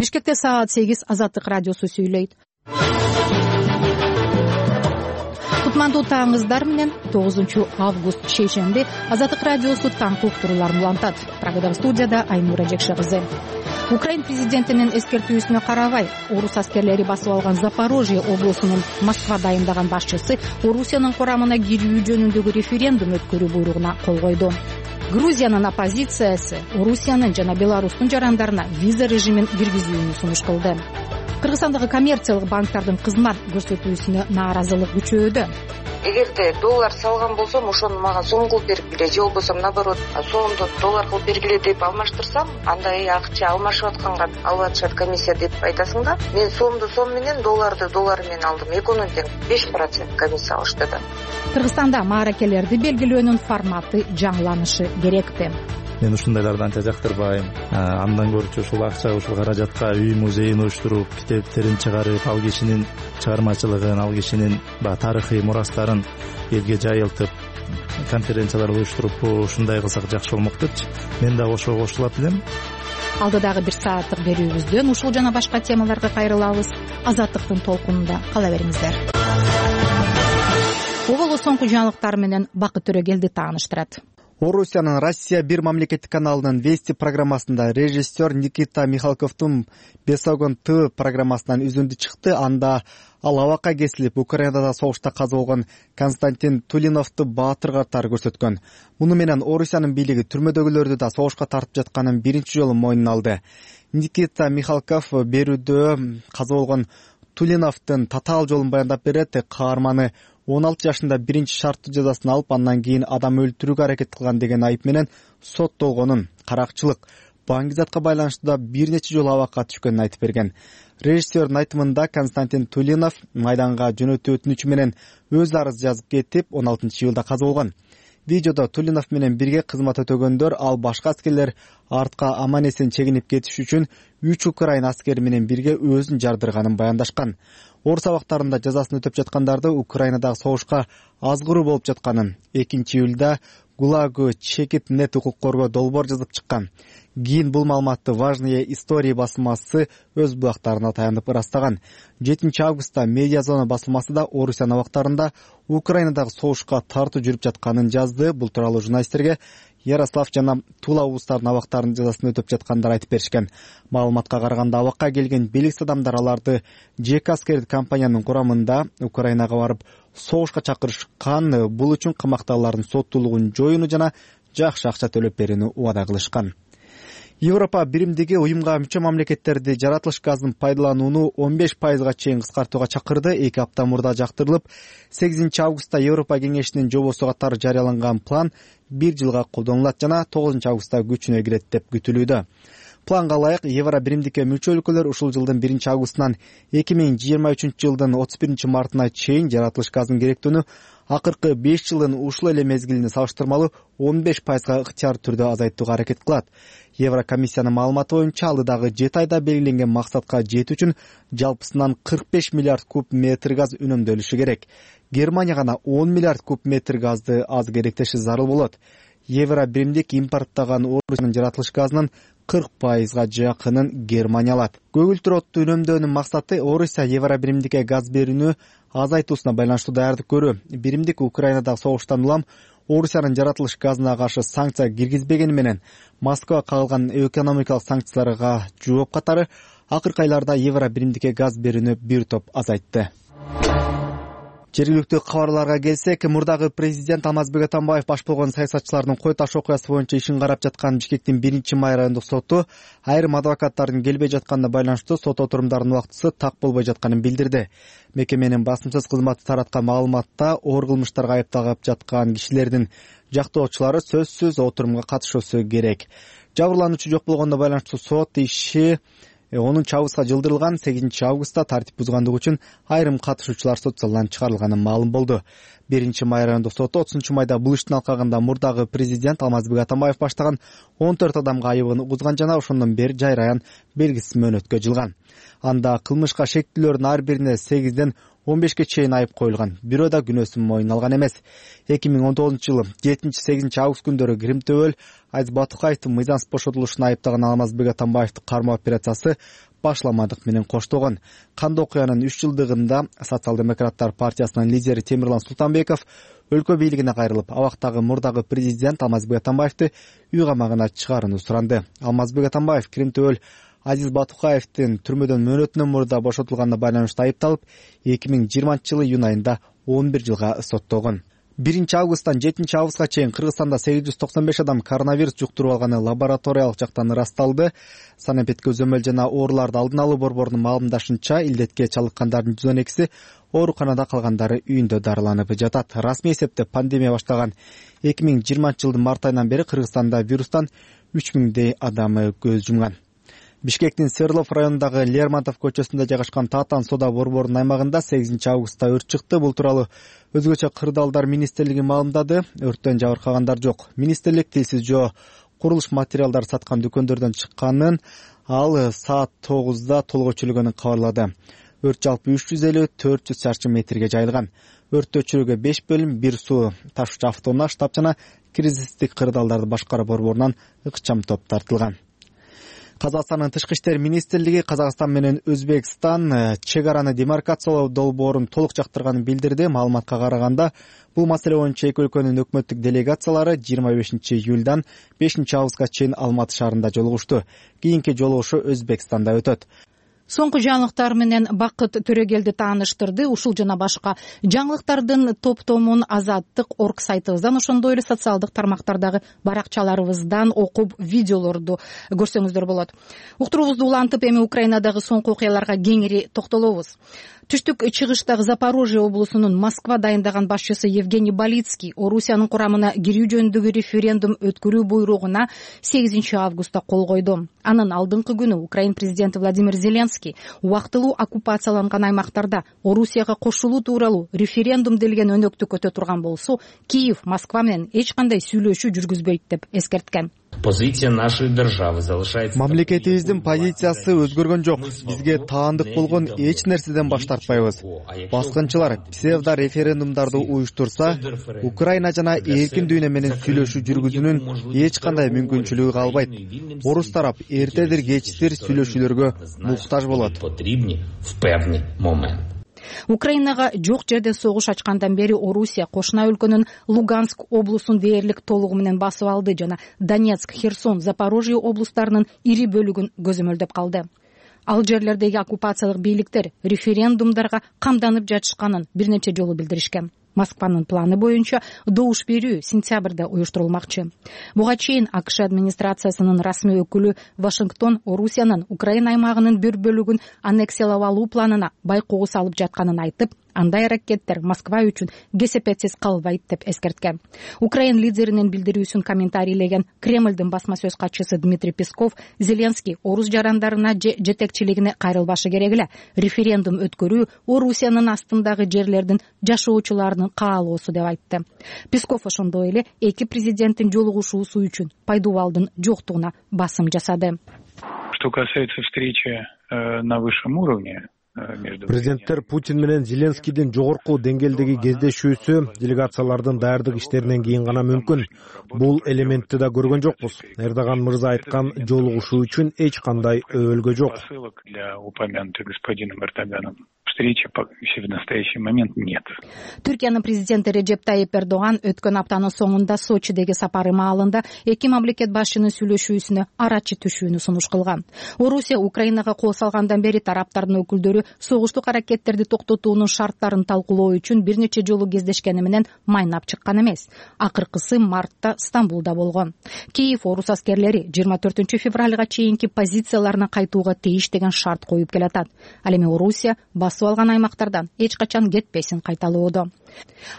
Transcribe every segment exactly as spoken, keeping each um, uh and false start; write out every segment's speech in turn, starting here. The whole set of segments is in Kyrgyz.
Бишкекте саат сегиз. Азаттык радиосу сүйлөйт. Кутмандуу таңыңыздар менен тогузунчу август шейшемби Азаттык радиосу таңкы уктурууларын улантат. Программа студияда Айнура Жекше кызы. Украин президентинин эскертүүсүнө карабай, орус аскерлери басып алган Запорожье облусунун Москва дайындаган башчысы Орусиянын курамына кирүү жөнүндөгү референдум өткөрүү буйругуна кол койду. Грузиянын оппозициясы Орусиянын жана Беларустун жарандарына виза режимин киргизүүнү сунуш кылды. Кыргызстандагы коммерциялык банктардын кызмат көрсөтүүсүнө нааразылык күчөөдө. Эгерде доллар салган болсом, ошону мага сом кылып бергиле, же болбосо наоборот сомду доллар кылып бергиле деп алмаштырсам, андай акча алмашып атканга алып атышат комиссия деп айтасың да. Мен сомду сом менен, долларды доллар менен алдым. Экөөнүн тең беш процент комиссия алышты да. Кыргызстанда мааракелерди белгилөөнүн форматы жаңыланышы керекпи? Мен ушундайларды анча жактырбайм. Андан көрчү ушул акча, ушул каражатка үй музейин уюштуруп, китептерин чыгарып, ал кишинин чыгармачылыгын, ал кишинин баягы тарыхый мурастарын элге жайылтып, конференциялар уюштуруп, ушундай кылсак жакшы болмок депчи. Мен да ошого кошулат элем. Алдыдагы бир сааттык берүүбүздөн ушул жана башка темаларга кайрылабыз. Азаттыктын толкунунда кала бериңиздер. Оболо соңку жаңылыктар менен Бакыт Төрөгелди тааныштырат. Орусиянын Россия бир мамлекеттик каналынын Вести программасында режиссер Никита Михалковдун Бесогон ТВ программасынан үзүндү чыкты. Анда ал абакка кесилип, Украинада согушта каза болгон Константин Тулиновду баатыр катары көрсөткөн. Муну менен Орусиянын бийлиги түрмөдөгүлөрдү да согушка тартып жатканын биринчи жолу мойнуна алды. Никита Михалков берүүдө каза болгон Тулиновдун татаал жолун баяндап берет. Каарманы он алты жашында биринчи шарттуу жазасын алып, андан кийин адам өлтүрүүгө аракет кылган деген айып менен соттолгонун, каракчылык, баңгизатка байланыштуу бир нече жолу абакка түшкөнүн айтып берген. Режиссердин айтымында Константин Тулинов майданга жөнөтүү өтүнүчү менен өз арыз жазып кетип, он алтынчы июлда каза болгон. Видеодо Тулинов менен бирге кызмат өтөгөндөр, ал башка аскерлер артка аман эсен чегинип кетиш үчүн үч украин аскери менен бирге өзүн жардырганын баяндашкан. Орус абактарында жазасын өтөп жаткандарды Украинадагы согушка азгыруу болуп жатканын, экинчи июлда Гулагы чекит нет укук коргоо долбоор жазып чыккан. Кийин бул маалыматты Важные истории басылмасы өз булактарына таянып ырастаган. жетинчи августта Медиазона басылмасы да Орусиянын абактарында Украинадагы согушка тартуу жүрүп жатканын жазды. Бул тууралуу журналисттерге Ярослав жана Тула облустарынын абактарынын жазасын өтөп жаткандар айтып беришкен. Маалыматка караганда, абакка келген белгисиз адамдар аларды Жек аскердик компаниянын курамында Украинага барып согушка чакырышкан. Бул үчүн камактагылардын соттуулугун жоюуну жана жакшы акча төлөп берүүнү убада кылышкан. Европа биримдиги уюмга мүчө мамлекеттерди жаратылыш газын пайдаланууну он беш пайызга чейин кыскартууга чакырды. эки апта мурда жактырылып, сегизинчи августта Европа кеңешинин жобосу катары жарыяланган план бир жылга колдонулат жана тогузунчу августта күчүнө кирет деп күтүлүүдө. Планга ылайык Евро биримдикке мүчө өлкөлөр ушул жылдын биринчи августунан эки миң жыйырма үчүнчү жылдын отуз биринчи мартына чейин жаратылыш газынын керектүүнү акыркы беш жылдын ушул эле мезгилине салыштырмалуу он беш пайызга ыктыяр түрдө азайтууга аракет кылат. Еврокомиссиянын маалыматы боюнча, алдыдагы жети айда белгиленген максатка жетүү үчүн жалпысынан кырк беш миллиард куб метр газ үнөмдөлүшү керек. Германия гана он миллиард куб метр газды аз керектеши зарыл болот. Евро биримдик импорттаган Орусиянын жаратылыш газынын кырк пайызга жакынын Германия алат. Көгүлтүр отту үнөмдөөнүн максаты Орусия Евро биримдикке газ берүүнү азайтуусуна байланыштуу даярдык көрүү. Биримдик Украинадагы согуштан улам Орусиянын жаратылыш газына каршы санкция киргизбегени менен Москва кагылган экономикалык санкцияларга жооп катары акыркы айларда Евро биримдикке газ берүүнү бир топ азайтты. Жергиликтүү кабарларга келсек, мурдагы президент Алмазбек Атамбаев баш болгон саясатчылардын кой таш окуясы боюнча ишин карап жаткан Бишкектин биринчи май райондук соту айрым адвокаттардын келбей жатканына байланыштуу сот отурумдарынын убактысы так болбой жатканын билдирди. Мекеменин басымсыз кызматы тараткан маалыматта оор кылмыштарга айыпталып жаткан кишилердин жактоочулары сөзсүз отурумга катышуусу керек. Жабырлануучу жок болгондо байланыштуу сот иши онунчу августка жылдырылган. сегизинчи августта тартип бузгандыгы үчүн айрым катышуучулар сот залынан чыгарылганы маалым болду. биринчи май райондук соту отузунчу майда бул иштин алкагында мурдагы президент Алмазбек Атамбаев баштаган он төрт адамга айыбын угузган жана ошондон бери жайраян белгисиз мөөнөткө жылган. Анда кылмышка шектүүлөрдүн ар бирине сегизден он бешке чейин айып коюлган. Бирөө да күнөөсүн мойнуна алган эмес. эки миң он тогузунчу жылы жетинчи сегизинчи август күндөрү Кирим-Төбөл Айз Батукаевдин мыйзамсыз бошотулушуна айыптаган Алмазбек Атамбаевдин кармоо операциясы башламадык менен коштогон. Кандуу окуянын үч жылдыгында Социал-демократтар партиясынын лидери Темирлан Султанбеков өлкө бийлигине кайрылып, абактагы мурдагы президент Алмазбек Атамбаевди үй камагына чыгарууну суранды. Алмазбек Атамбаев Киринтөбөл Азиз Батукаевдин түрмөдөн мөөнөтүнөн мурда бошотулганына байланыштуу айыпталып, эки миң жыйырманчы жылы июнь айында он бир жылга соттолгон. биринчи августтан жетинчи августка чейин Кыргызстанда сегиз жүз токсон беш адам коронавирус жуктуруп алганы лабораториялык жактан ырасталды. Санэпид көзөмөл жана ооруларды алдын алуу борборунун маалымдашынча, илдетке чалыккандардын жүз он экиси ооруканада, калгандары үйүндө дарыланып жатат. Расмий эсепте пандемия баштаган эки миң жыйырманчы жылдын март айынан бери Кыргызстанда вирустан үч миңдей адам көз жумган. Бишкектин Свердлов районундагы Лермонтов көчөсүндө жайгашкан Татан соода борборунун аймагында сегизинчи августта өрт чыкты. Бул тууралуу өзгөчө кырдаалдар министрлиги маалымдады. Өрттөн жабыркагандар жок. Министрлик тилсиз жөө курулуш материалдары саткан дүкөндөрдөн чыкканын, ал саат тогузда толук өчүрүлгөнүн кабарлады. Өрт жалпы үч жүз элүү төрт жүз чарчы метрге жайылган. Өрттү өчүрүүгө беш бөлүм, бир суу ташуучу автоунаа штаб жана кризистик кырдаалдарды башкаруу борборунан ыкчам топ тартылган. Казакстандын тышкы иштер министрлиги Казакстан менен Өзбекстан чек араны демаркациялоо долбоорун толук жактырганын билдирди. Маалыматка караганда, бул маселе боюнча эки өлкөнүн өкмөттүк делегациялары жыйырма бешинчи июлдан бешинчи августка чейин Алматы шаарында жолугушту. Кийинки жолугушу Өзбекстанда өтөт. Соңку жаңылыктар менен Бакыт Төрөгелди тааныштырды. Ушул жана башка жаңылыктардын топтомун Азаттык орг сайтыбыздан, ошондой эле социалдык тармактардагы баракчаларыбыздан окуп, видеолорду көрсөңүздөр болот. Уктуруубузду улантып, эми Украинадагы соңку окуяларга кеңири токтолобуз. Түштүк чыгыштагы Запорожье облусунун Москва дайындаган башчысы Евгений Балицкий Орусиянын курамына кирүү жөнүндөгү референдум өткөрүү буйругуна сегизинчи августта кол койду. Анын алдыңкы күнү Украин президенти Владимир Зеленский убактылуу оккупацияланган аймактарда Орусияга кошулуу тууралуу референдум делген өнөктү көтө турган болсо, Киев Москва менен эч кандай сүйлөшүү жүргүзбөйт деп эскерткен. Позиция нашей державы залишается. Мамлекетибиздин позициясы өзгөргөн жок. Бизге таандык болгон эч нерседен баш тартпайбыз. Баскынчылар псевдо референдумдарды уюштурса, Украина жана эркин дүйнө менен сүйлөшүү жүргүзүүнүн эч кандай мүмкүнчүлүгү калбайт. Орус тарап эртедир кечтир сүйлөшүүлөргө муктаж болот. Украинага жок жерден согуш ачкандан бери Орусия кошуна өлкөнүн Луганск облусун дээрлик толугу менен басып алды жана Донецк, Херсон, Запорожье облустарынын ири бөлүгүн көзөмөлдөп калды. Ал жерлердеги оккупациялык бийликтер референдумдарга камданып жатышканын бир нече жолу билдиришкен. Москванын планы боюнча добуш берүү сентябрда уюштурулмакчы. Буга чейин АКШ администрациясынын расмий өкүлү Вашингтон Орусиянын Украина аймагынын бир бөлүгүн аннексиялап алуу планына байкоо салып жатканын айтып, андай аракеттер Москва үчүн кесепетсиз калбайт деп эскерткен. Украин лидеринин билдирүүсүн комментарийлеген Кремлдин басма сөз катчысы Дмитрий Песков Зеленский орус жарандарына же жетекчилигине кайрылбашы керек эле. Референдум өткөрүү Орусиянын астындагы жерлердин жашоочуларынын каалоосу деп айтты. Песков ошондой эле эки президенттин жолугушуусу үчүн пайдубалдын жоктугуна басым жасады. Что касается встречи на высшем уровне, президенттер Путин менен Зеленскийдин жогорку деңгээлдеги кездешүүсү делегациялардын даярдык иштеринен кийин гана мүмкүн. Бул элементти да көргөн жокпуз. Эрдоган мырза айткан жолугушуу үчүн эч кандай өбөлгө жок. Для упомянутой господином Эрдоганом встречи в настоящий момент нет. Түркиянын президенти Режеп Тайип Эрдоган өткөн аптанын соңунда Сочидеги сапары маалында эки мамлекет башчынын сүйлөшүүсүнө арачы түшүүнү сунуш кылган. Орусия Украинага кол салгандан бери тараптардын өкүлдөрү согуштук аракеттерди токтотуунун шарттарын талкуулоо үчүн бир нече жолу кездешкени менен майнап чыккан эмес. Акыркысы мартта Стамбулда болгон. Киев орус аскерлери жыйырма төртүнчү февралга чейинки позицияларына кайтууга тийиш деген шарт коюп келатат. Ал эми Орусия басып алган аймактардан эч качан кетпесин кайталоодо.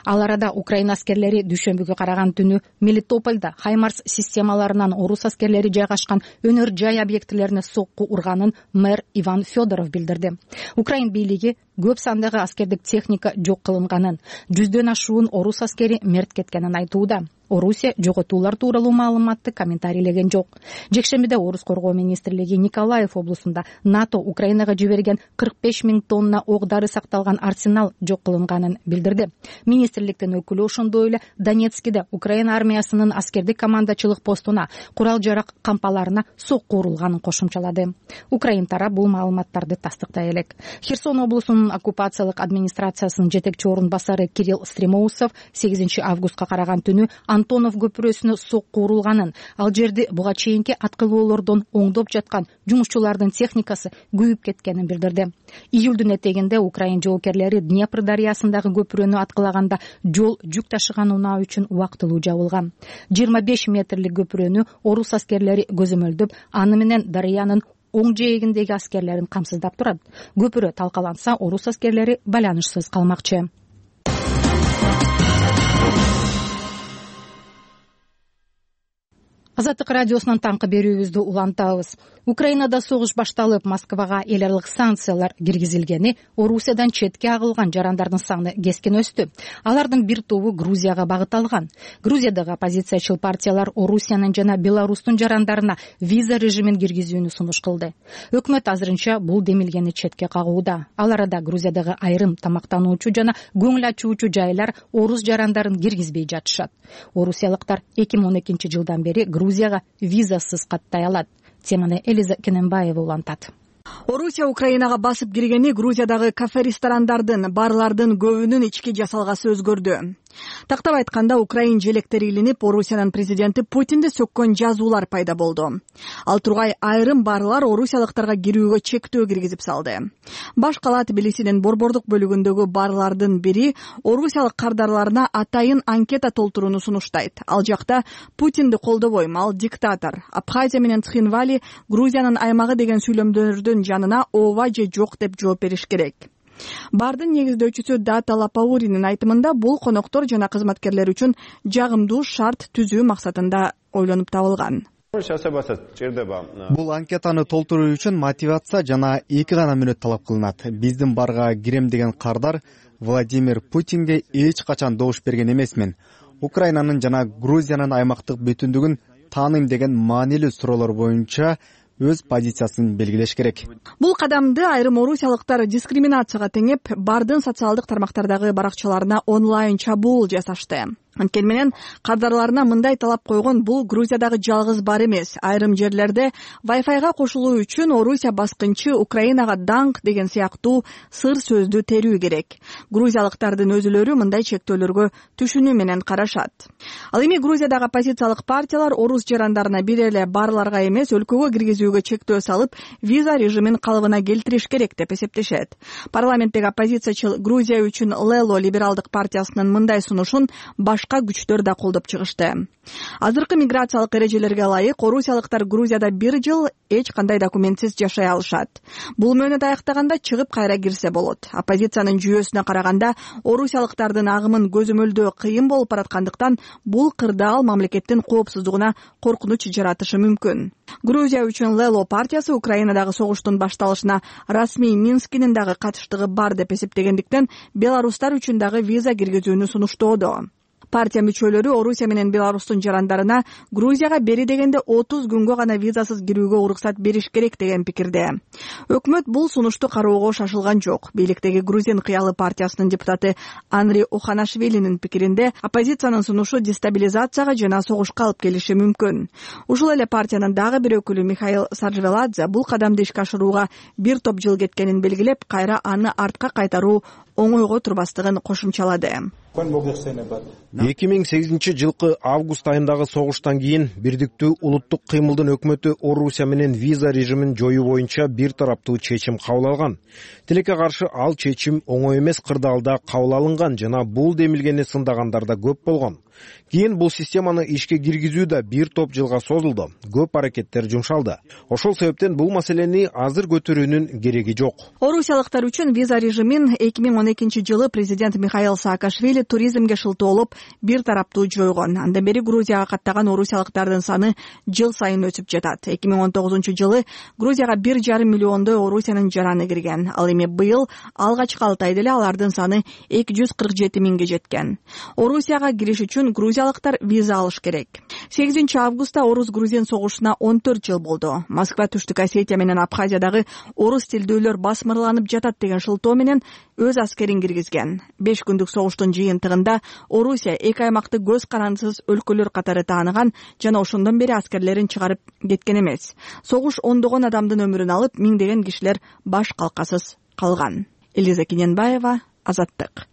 Ал арада Украина аскерлери дүйшөмбүгө караган түнү Мелитопольда Хаймарс системаларынан орус аскерлери жайгашкан өнөр жай объектилерине сокку урганын мэр Иван Федоров билдирди. Украин бийлиги көп сандагы аскердик техника жок кылынганын, жүздөн ашуун орус аскери мерт кеткенин айтууда. Орусия жоготуулар тууралуу маалыматты комментарийлеген жок. Жекшембиде Орус коргоо министрлиги Николаев облусунда НАТО Украинага жиберген кырк беш миң тонна ок-дары сакталган арсенал жок кылынганын билдирди. Министрликтин өкүлү ошондой эле Донецкиде Украина армиясынын аскердик командачылык постуна, курал жарак кампаларына сокку урулганын кошумчалады. Украин тарап бул маалыматтарды тастыктай элек. Херсон облусунун оккупациялык администрациясынын жетекчи орун басары Кирилл Стремоусов сегизинчи августка караган түнү Антонов көпүрөсүнө сокку урулганын, ал жерди буга чейинки аткылоолордон оңдоп жаткан жумушчулардын техникасы күйүп кеткенин билдирди. Июлдун этегинде Украин жоокерлери Днепр дарыясындагы көпүрөнү аткылаганда жол жүк ташыган унаа үчүн убактылуу жабылган. жыйырма беш метрлик көпүрөнү орус аскерлери көзөмөлдөп, аны менен дарыянын оң жээгиндеги аскерлерин камсыздап турат. Көпүрө талкаланса, орус аскерлери байланышсыз калмакчы. Азаттык радиосунан таңкы берүүбүздү улантабыз. Украинада согуш башталып, Москвага эл аралык санкциялар киргизилгени Орусиядан четке агылган жарандардын саны кескен өстү. Алардын бир тобу Грузияга багытталган. Грузиядагы оппозициячыл партиялар Орусиянын жана Беларустун жарандарына виза режимин киргизүүнү сунуш кылды. Өкмөт азырынча бул демилгени четке кагууда. Ал арада Грузиядагы айрым тамактануучу жана көңүл ачуучу жайлар орус жарандарын киргизбей жатышат. Орусиялыктар эки миң он экинчи жылдан бери Грузияга визасыз каттай алат. Теманы Элиза Кененбаева улантат. Орусия Украинага басып киргени Грузиядагы кафе-ресторандардын, барлардын көбүнүн ички жасалгасы өзгөрдү. Тактап айтканда, украин желектери илинип, Орусиянын президенти Путинди сөккөн жазуулар пайда болду. Ал тургай айрым барлар орусиялыктарга кирүүгө чектөө киргизип салды. Баш кала Тбилисинин борбордук бөлүгүндөгү барлардын бири орусиялык кардарларына атайын анкета толтурууну сунуштайт. Ал жакта Путинди колдобойм, ал диктатор. Абхазия менен Цхинвали Грузиянын аймагы деген сүйлөмдөрдүн жанына ооба же жок деп жооп бериш керек. Бардын негиздөөчүсү Дата Лапауринин айтымында, бул коноктор жана кызматкерлер үчүн жагымдуу шарт түзүү максатында ойлонуп табылган. Бул анкетаны толтуруу үчүн мотивация жана эки гана мүнөт талап кылынат. Биздин барга кирем деген кардар Владимир Путинге эч качан добуш берген эмесмин. Украинанын жана Грузиянын аймактык бүтүндүгүн тааныйм деген маанилүү суроолор боюнча өз позициясын белгилеш керек. Бул кадамды айрым орусиялыктар дискриминацияга теңеп, бардын социалдык тармактардагы баракчаларына онлайн чабуул жасашты. Анткени менен кардарларына мындай талап койгон, бул Грузиядагы жалгыз бар эмес. Айрым жерлерде Wi-Fi'га кошулуу үчүн Орусия баскынчы, Украинага даңк деген сыяктуу сыр сөздү терүү керек. Грузиялыктардын өзүлөрү мындай чектөөлөргө түшүнүү менен карашат. Ал эми Грузиядагы оппозициялык партиялар орус жарандарына бир эле барларга эмес, өлкөгө киргизүүгө чектөө салып, виза режимин калыбына келтириш керек деп эсептешет. Парламенттеги оппозициячыл Грузия үчүн Лело либералдык партиясынын мындай сунушун башка күчтөр да колдоп чыгышты. Азыркы миграциялык эрежелерге ылайык орусиялыктар Грузияда бир жыл эч кандай документсиз жашай алышат. Бул мөөнөт аяктаганда чыгып кайра кирсе болот. Оппозициянын жүйөсүнө караганда, орусиялыктардын агымын көзөмөлдөө кыйын болуп бараткандыктан, бул кырдаал мамлекеттин коопсуздугуна коркунуч жаратышы мүмкүн. Грузия үчүн Лело партиясы Украинадагы согуштун башталышына расмий Минскинин дагы катыштыгы бар деп эсептегендиктен, беларустар үчүн дагы виза киргизүүнү сунуштоодо. Партия мүчөлөрү Орусия менен Беларустун жарандарына Грузияга бери дегенде отуз күнгө гана визасыз кирүүгө уруксат бериш керек деген пикирде. Өкмөт бул сунушту кароого шашылган жок. Бийликтеги Грузин кыялы партиясынын депутаты Анри Оханашвилинин пикиринде, оппозициянын сунушу дестабилизацияга жана согушка алып келиши мүмкүн. Ушул эле партиянын дагы бир өкүлү Михаил Саржвеладзе бул кадамды ишке ашырууга бир топ жыл кеткенин белгилеп, кайра аны артка кайтаруу оңойго турбастыгын кошумчалады. эки миң сегизинчи жылкы август айындагы согуштан кийин Бирдиктүү улуттук кыймылдын өкмөтү Орусия менен виза режимин жоюу боюнча бир тараптуу чечим кабыл алган. Тилекке каршы ал чечим оңой эмес кырдаалда кабыл алынган жана бул демилгени сындагандар да көп болгон. Кийин бул системаны ишке киргизүү да бир топ жылга созулду. Көп аракеттер жумшалды. Ошол себептен бул маселени азыр көтөрүүнүн кереги жок. Орусиялыктар үчүн виза режимин эки миң он экинчи жылы президент Михаил Саакашвили туризмге шылтоолоп бир тараптуу жойгон. Андан бери Грузияга каттаган орусиялыктардын саны жыл сайын өсүп жатат. эки миң он тогузунчу жылы Грузияга бир жарым миллиондой Орусиянын жараны кирген. Ал эми быйыл алгачкы алты айда эле алардын саны эки жүз кырк жети миңге жеткен. Орусияга кириш үчүн үчүн грузиялыктар виза алыш керек. сегизинчи августта орус-грузин согушуна он төрт жыл болду. Москва Түштүк Осетия менен Абхазиядагы орус тилдүүлөр басмырланып жатат деген шылтоо менен өз аскерин киргизген. беш күндүк согуштун жыйынтыгында Орусия эки аймакты көз карандысыз өлкөлөр катары тааныган жана ошондон бери аскерлерин чыгарып кеткен эмес. Согуш ондогон адамдын өмүрүн алып, миңдеген кишилер баш калкасыз калган. Элиза Кененбаева, Азаттык.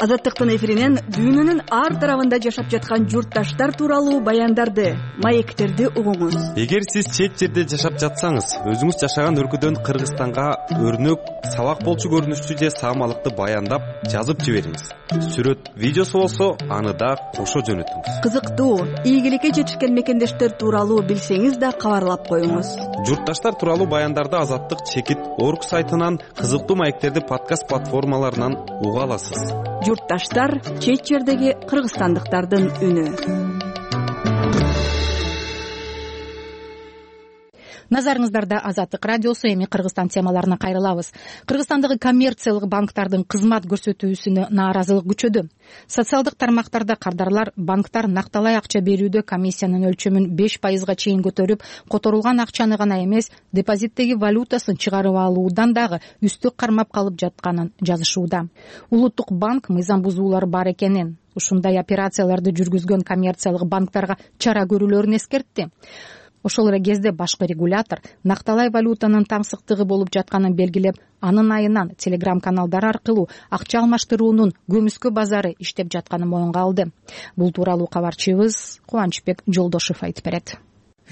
Азаттыктын эфиринен дүйнөнүн ар тарабында жашап жаткан журтташтар тууралуу баяндарды, маектерди угуңуз. Эгер сиз чет жерде жашап жатсаңыз, өзүңүз жашаган өлкөдөн Кыргызстанга өрнөк, сабак болчу көрүнүштүү же саамалыкты баяндап жазып жибериңиз. Сүрөт, видеосу болсо, аны да кошо жөнөтүңүз. Кызыктуу, ийгиликке жетишкен мекендештер тууралуу билсеңиз да кабарлап коюңуз. Журтташтар тууралуу баяндарды Азаттык чекит орг сайтынан, кызыктуу маектерди подкаст платформаларынан уга аласыз. Журтташтар — чет жердеги кыргызстандыктардын үнү. Назарыңыздарда Азаттык радиосу. Эми Кыргызстан темаларына кайрылабыз. Кыргызстандагы коммерциялык банктардын кызмат көрсөтүүсүнө нааразылык күчөдү. Социалдык тармактарда кардарлар банктар накталай акча берүүдө комиссиянын өлчөмүн беш пайызга чейин көтөрүп, которулган акчаны гана эмес, депозиттеги валютасын чыгарып алуудан дагы үстүк кармап калып жатканын жазышууда. Улуттук банк мыйзам бузуулары бар экенин, ушундай операцияларды жүргүзгөн коммерциялык банктарга чара көрүүлөрүн эскертти. Ошол эле кезде башкы регулятор накталай валютанын таңсыктыгы болуп жатканын белгилеп, анын айынан телеграм-каналдар аркылуу акча алмаштыруунун көмүскө базары иштеп жатканын моюнга алды. Бул тууралуу кабарчыбыз Кубанычбек Жолдошев айтып берет.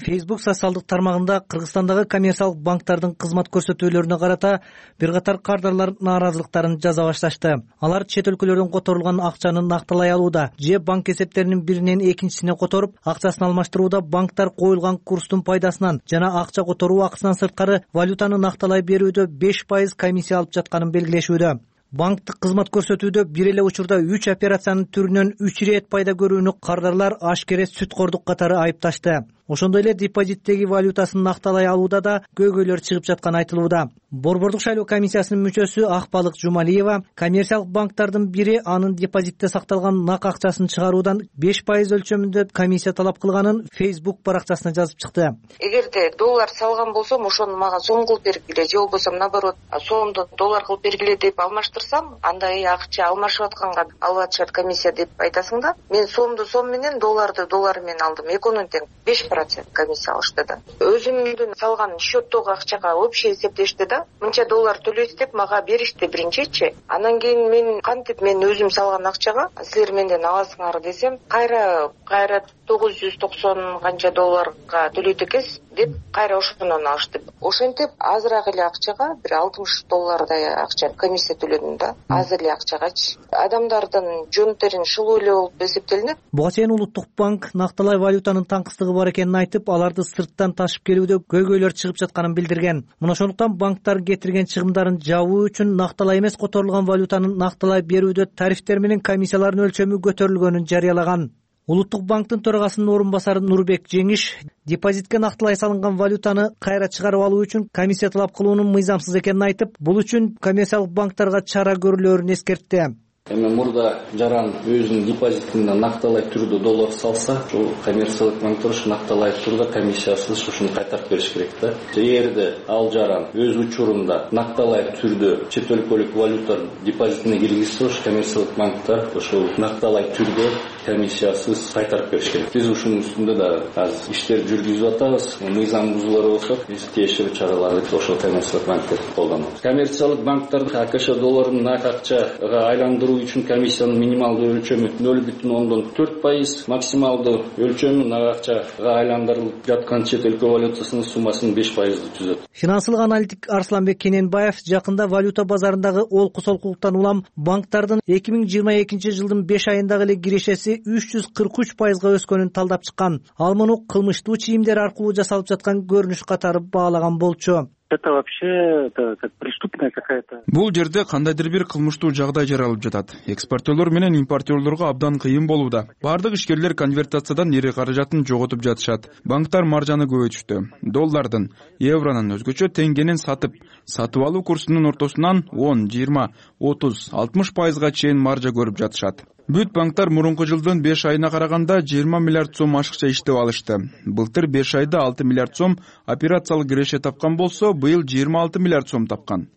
Facebook социалдык тармагында Кыргызстандагы коммерциялык банктардын кызмат көрсөтүүлөрүнө карата бир катар кардарлар нааразылыктарын жаза башташты. Алар чет өлкөлөрдөн которулган акчаны накталай алууда же банк эсептеринин биринен экинчисине которуп, акчасын алмаштырууда банктар коюлган курстун пайдасынан жана акча которуу акысынан сырткары валютаны накталай берүүдө беш пайыз комиссия алып жатканын белгилешүүдө. Банктык кызмат көрсөтүүдө бир эле учурда үч операциянын түрүнөн үч ирет пайда көрүүнү кардарлар ашкере сүткордук катары айыпташты. Ошондой эле депозиттеги валютасын накталай алууда да көйгөйлөр чыгып жатканы айтылууда. Борбордук шайлоо комиссиясынын мүчөсү Акбалык Жумалиева коммерциялык банктардын бири анын депозитте сакталган нак акчасын чыгаруудан беш пайыз өлчөмүндө комиссия талап кылганын Facebook баракчасына жазып чыкты. Эгерде доллар салган болсом, ошону мага сом кылып бергиле, же болбосо наоборот, сомду доллар кылып бергиле деп алмаштырсам, андай акча алмашып атканга алып атышат комиссия деп айтасың да. Мен сомду сом менен, долларды доллар менен алдым. Экөөнүн тең беш процент комиссия алышты да. Өзүмдүн салган счеттогу акчага общий эсептешти да. Мынча доллар төлөйсүз деп мага беришти биринчичи. Анан кийин мен кантип мен өзүм салган акчага силер менден аласыңар десем, кайра кайра тогуз жүз токсон канча долларга төлөйт экенсиз деп кайра ошондон алышты. Ошентип азыраак эле акчага бир алтымыш доллардай акча комиссия төлөдүм да. Аз эле акчагачы. Адамдардын жөн терин шылуу эле болуп эсептелинет. Буга чейин Улуттук банк накталай валютанын таңкыстыгы бар экенин айтып, аларды сырттан ташып келүүдө көйгөйлөр чыгып жатканын билдирген. Мына ошондуктан банктар кетирген чыгымдарын жабуу үчүн накталай эмес которулган валютанын накталай берүүдө тарифтер менен комиссиялардын өлчөмү көтөрүлгөнүн жарыялаган. Улуттук банктын төрагасынын орун басары Нурбек Жеңиш депозитке накталай салынган валютаны кайра чыгарып алуу үчүн комиссия талап кылуунун мыйзамсыз экенин айтып, бул үчүн коммерциялык банктарга чара көрүлөрүн эскертти. Эми мурда жаран өзүнүн депозитине накталай түрдө доллар салса, ошол коммерциялык банктар ушу накталай түрдө комиссиясыз ушуну кайтарып бериш керек да. Эгерде ал жаран өз учурунда накталай түрдө чет өлкөлүк валюта депозитине киргизсе, ошол коммерциялык банктар ошол накталай түрдө комиссиясыз кайтарып бериш керек. Биз ушунун үстүндө да азыр иштер жүргүзүп атабыз. Мыйзам бузуулар болсо, биз тиешелүү чараларды ошол коммерциялык банктерди колдонобуз. Коммерциялык банктар АКШ долларын нак акчага айландыруу үчүн комиссиянын минималдуу өлчөмү нөл бүтүн ондон төрт пайыз, максималдуу өлчөмү нак акчага айландырылып жаткан чет өлкө валютасынын суммасынын беш пайызды түзөт. Финансылык аналитик Арсланбек Кененбаев жакында валюта базарындагы олку-солкулуктан улам банктардын эки миң жыйырма экинчи жылдын беш айындагы эле кирешеси үч жүз кырк үч пайызга өскөнүн талдап чыккан. Ал муну кылмыштуу чийимдер аркылуу жасалып жаткан көрүнүш катары баалаган болчу. Это вообще это как преступная какая-то. Бул жерде кандайдыр бир кылмыштуу жагдай жаралып жатат. Экспортерлор менен импортерлорго абдан кыйын болууда. Бардык ишкерлер конвертациядан эри каражатын жоготуп жатышат. Банктар маржаны көбөйтүштү. Доллардын, евронун өзгөчө теңгенин сатып, сатып алуу курсунун ортосунан он, жыйырма, отуз, алтымыш пайызга чейин маржа көрүп жатышат. Бүт банктар мурунку жылдын беш айына караганда жыйырма миллиард сом ашыкча иштеп алышты. Былтыр беш айда алты миллиард сом операциялык киреше тапкан болсо, быйыл жыйырма алты миллиард сом тапкан.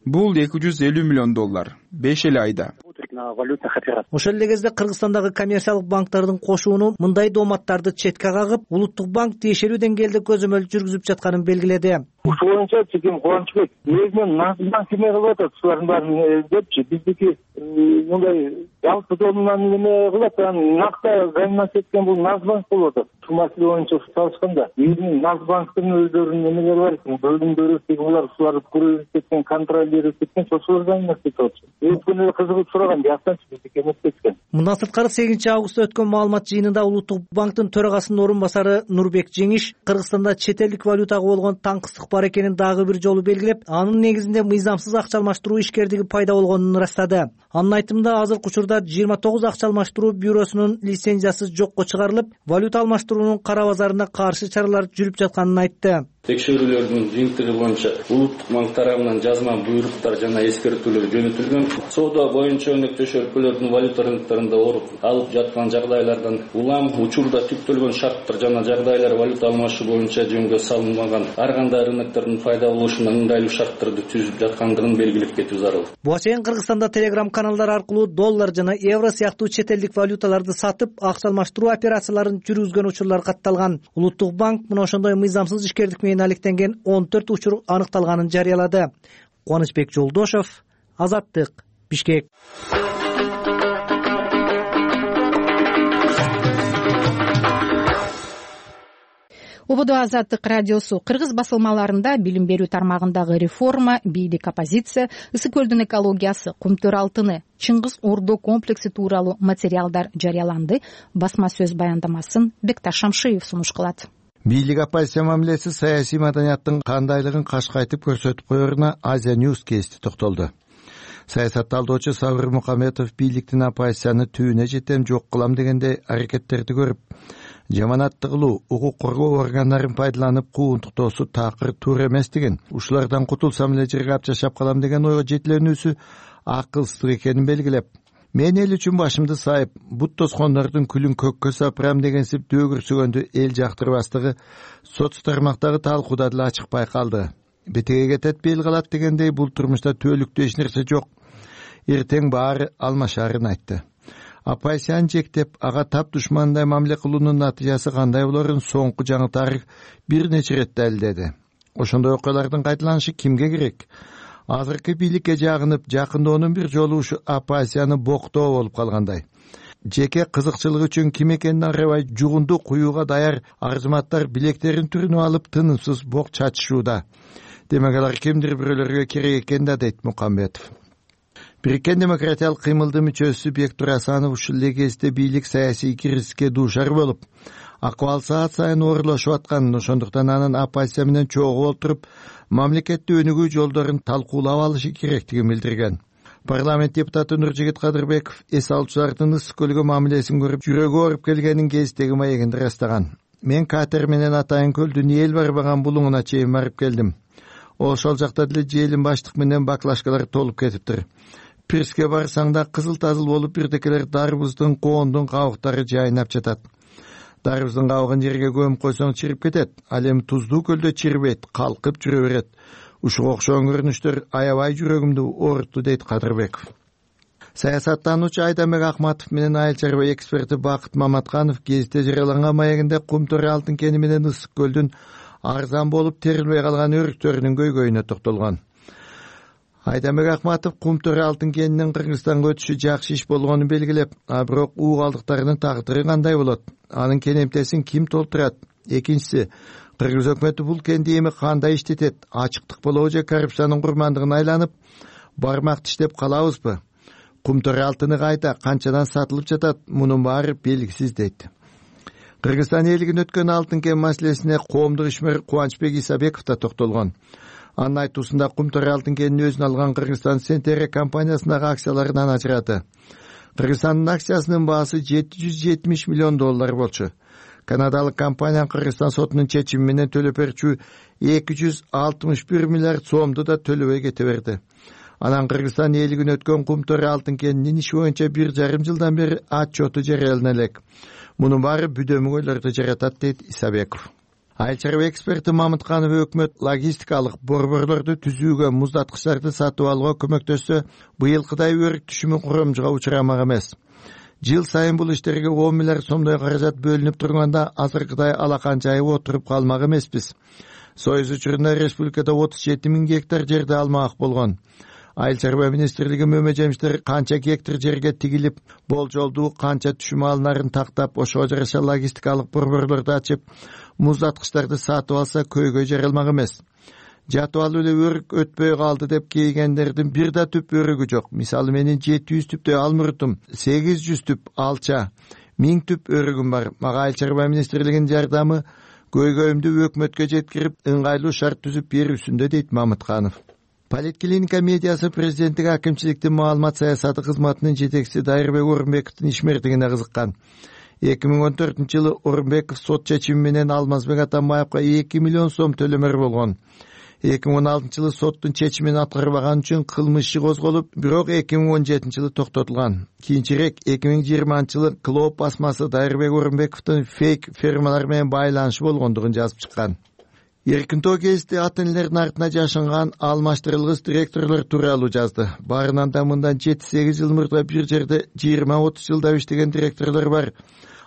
Бул эки жүз элүү миллион доллар. беш эле айда. Ошол эле кезде Кыргызстандагы коммерциялык банктардын кошууну мындай дооматтарды четке кагып, улуттук банк тиешелүү деңгээлде көзөмөл жүргүзүп жатканын белгиледи. Ушул боюнча Чеким Кубанычбек негизинен Нацбанк эме кылып атат, ушулардын баарын депчи, биздики мындай жалпы домунан эме кылат, анан накта заниматься эткен бул Нацбанк болуп атат. Ушул маселе боюнча салышканда биздин Нацбанктын өздөрүнүн эмелери бар экен, бөлүмдөрү, булар ушуларды көрүп кеткен, контролдеп кеткен, ошолор заниматься этип атышат. Өткөн эле кызыгып сураган, жактанчы биздики эметпескен. Мындан сырткары сегизинчи августта өткөн маалымат жыйынында Улуттук банктын төрагасынын орун басары Нурбек Жеңиш Кыргызстанда чет элдик валютага болгон таңкыстык бар экенин дагы бир жолу белгилеп, анын негизинде мыйзамсыз акча алмаштыруу ишкердиги пайда болгонун ырастады. Анын айтымында азыркы учурда жыйырма тогуз акча алмаштыруу бюросунун лицензиясы жокко чыгарылып, валюта алмаштыруунун кара базарына каршы чаралар жүрүп жатканын айтты. Текшерүүлөрдүн жыйынтыгы боюнча Улуттук банк тарабынан жазма буйруктар жана эскертүүлөр жөнөтүлгөн. Соода боюнча өнөктөш өлкөлөрдүн валюта рыноктарында оруп алып жаткан жагдайлардан улам учурда түптөлгөн шарттар жана жагдайлар валюта алмашуу боюнча жөнгө салынмаган ар кандай рыноктордун пайда болушуна ыңгайлуу шарттарды түзүп жаткандыгын белгилеп кетүү зарыл. Буга чейин Кыргызстанда Telegram каналдар аркылуу доллар жана евро сыяктуу чет элдик валюталарды сатып, акча алмаштыруу операцияларын жүргүзгөн учурлар катталган. Улуттук банк мына ошондой мыйзамсыз ишкердик менен алектенген он төрт учур аныкталганын жарыялады. Кубанычбек Жолдошов, Азаттык, Бишкек. Ободо Азаттык радиосу кыргыз басылмаларында билим берүү тармагындагы реформа, бийлик оппозиция, Ысык көлдүн экологиясы, Кумтөр алтыны, Чыңгыз Ордо комплекси тууралуу материалдар жарыяланды. Басма сөз баяндамасын Бекташ Шамшиев сунуш кылат. Бийлик оппозиция мамилеси саясий маданияттын кандайлыгын кашкайтып көрсөтүп коеруна Азия News кести токтолду. Саясат талдоочу Сабыр Мукаметов бийликтин оппозицияны түбүнө жетем жок кылам дегендей аракеттерди көрүп, жаманатты кылуу, укук коргоо органдарын пайдаланып куунтуктоосу такыр туура эмес деген, ушулардан кутулсам эле жерге ап жашап калам деген ойго жетиленүүсү акылсыздык экенин белгилеп, мен эл үчүн башымды сайып, бут тоскондордун күлүн көккө сапырам дегенсип дөгүрсүгөндү эл жактырбастыгы соц тармактагы талкууда деле ачык байкалды. Бетеге кетет бел калат дегендей бул турмушта түбөлүктүү эч нерсе жок. Эртең баары алмашарын айтты. Оппозицияны жектеп, ага тап душмандай мамиле кылуунун натыйжасы кандай болорун соңку жаңы тарых бир нече ирет далилдеди. Ошондой окуялардын кайталанышы кимге керек? Азыркы бийликке жагынып, жакынdoonун бир жолу ушу оппозицияны боктоо болуп калгандай. Жеке кызыкчылык үчүн ким экенин арабай жугунду куюуга даяр арзыматтар билектерин түрүнүп алып тынымсыз бок чачышууда. Демек алар кимдир бирөөлөргө керек экен да, дейт Мукамбетов. Бириккен демократиялык кыймылдын мүчөсү Бектур Асанов ушул эле кезде бийлик саясий кризиске дуушар болуп, акыбал саат сайын оорлошуп атканын, ошондуктан анын оппозиция менен чогуу олтуруп, мамлекетти өнүгүү жолдорун талкуулап алышы керектигин билдирген. Парламент депутаты Нуржигит Кадырбеков эс алуучулардын Ысык көлгө мамилесин көрүп, жүрөгү ооруп келгенин гезиттеги маегинде ырастаган. Мен катер менен Атайын көлдүн эл барбаган булуңуна чейин барып келдим. Ошол жакта деле желин баштык менен баклашкалар толуп кетиптир. Пирске барсаң да кызыл-тазыл болуп бирдекелер дарбыздын, коондун кабыктары жайнап жатат. Дарбыздын кабыгын жерге көмүп койсоң чирип кетет, ал эми туздуу көлдө чирибейт, калкып жүрө берет. Ушуга окшогон көрүнүштөр аябай жүрөгүмдү оорутtu, дейт Кадырбеков. Саясаттануучу Айдамбек Акматов менен айыл чарба эксперти Бакыт Маматканов гезитте жарыяланган маегинде Кумтөр алтын кени менен Ысык көлдүн арзан болуп терилбей калган өрүктөрүнүн көйгөйүнө токтолгон. Айдамбек Акматов Кумтөр алтын кенинин Кыргызстанга өтүшү жакшы иш болгонун белгилеп, а бирок уу калдыктарынын тагдыры кандай болот? Анын кенемтесин ким толтурат? Экинчиси, Кыргыз өкмөтү бул кенди эми кандай иштетет? Ачыктык болобу же коррупциянын курмандыгына айланып, бармак тиштеп калабызбы? Кумтөр алтыны кайда, канчадан сатылып жатат? Мунун баары белгисиз, дейт. Кыргызстан элигин өткөн алтын кен маселесине коомдук ишмер Кубанычбек Исабеков да токтолгон. Анын айтуусунда Кумтөр алтын кенин өзүнө алган Кыргызстан Сентере компаниясындагы акцияларынан ажырады. Кыргызстандын акциясынын баасы жети жүз жетимиш миллион доллар болчу. Канадалык компания Кыргызстан сотунун чечими менен төлөп берчү эки жүз алтымыш бир миллиард сомду да төлөбөй кете берди. Анан Кыргызстан элигин өткөн Кумтөр алтын кенинин иши боюнча бир жарым жылдан бери отчету жарыялана элек. Мунун баары бүдөмүгөйлөрдү жаратат, дейт Исабеков. Айыл чарба эксперти Мамытканов өкмөт логистикалык борборлорду түзүүгө, муздаткычтарды сатып алууга көмөктөшсө, быйылкыдай өрүк түшүмү курамжыга учурамак эмес. Жыл сайын бул иштерге он миллиард сомдой каражат бөлүнүп турганда азыркыдай алакан жайып отуруп калмак эмеспиз. Союз учурунда республикада отуз жети миң гектар жерди алмак болгон. Айыл чарба министрлиги мөмөжемиштер канча гектар жерге тигилип, болжолдуу канча түшүм алынарын тактап, ошого жараша логистикалык борборлорду ачып, муздаткычтарды сатып алса көйгөй жаралмак эмес. Жатып алып эле өрүк өтпөй калды деп кейгендердин бир да түп өрүгү жок. Мисалы менин жети жүз түптөй алмурутум, сегиз жүз түп алча, миң түп өрүгүм бар. Мага айыл чарба министрлигинин жардамы көйгөйүмдү өкмөткө жеткирип, ыңгайлуу шарт түзүп берүүсүндө, дейт Мамытканов. Политклиника медиасы президенттик акимчиликтин маалымат саясаты кызматынын жетекчиси Дайырбек Орунбековдун ишмердигине кызыккан. эки миң он төртүнчү жылы Орунбеков сот чечими менен Алмазбек Атамбаевга эки миллион сом төлөмөр болгон. эки миң он алтынчы жылы соттун чечимин аткарбаган үчүн кылмыш иши козголуп, бирок эки миң он жетинчи жылы токтотулган. Кийинчерээк эки миң жыйырманчы жылы Клоп басмасы Дайырбек Орунбековдун фейк фермалар менен байланышы болгондугун жазып чыккан. Эркинтоо гезити ата-энелердин артына жашынган алмаштырылгыс директорлор тууралуу жазды. Баарынан да мындан жети сегиз жыл мурда бир жерде жыйырма отуз жылдап иштеген директорлор бар.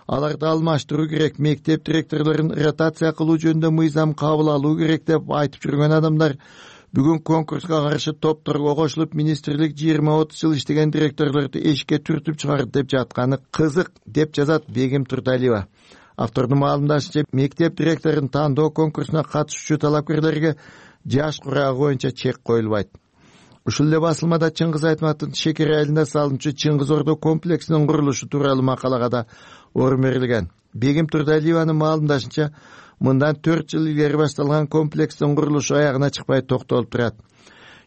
Аларды алмаштыруу керек, мектеп директорлорун ротация кылуу жөнүндө мыйзам кабыл алуу керек деп айтып жүргөн адамдар бүгүн конкурска каршы топторго кошулуп, министрлик жыйырма отуз жыл иштеген директорлорду эшикке түртүп чыгарды деп жатканы кызык, деп жазат Бегим Турдалиева. Автордун маалымдашынча, мектеп директорун тандоо конкурсуна катышуучу талапкерлерге жаш курагы боюнча чек коюлбайт. Ушул эле басылмада Чыңгыз Айтматовдун Шекер айылында салынчу Чыңгыз Ордо комплексинин курулушу тууралуу макалага да орун берилген. Бегим Турдалиеванын маалымдашынча, мындан төрт жыл илгери башталган комплекстин курулушу аягына чыкпай токтолуп турат.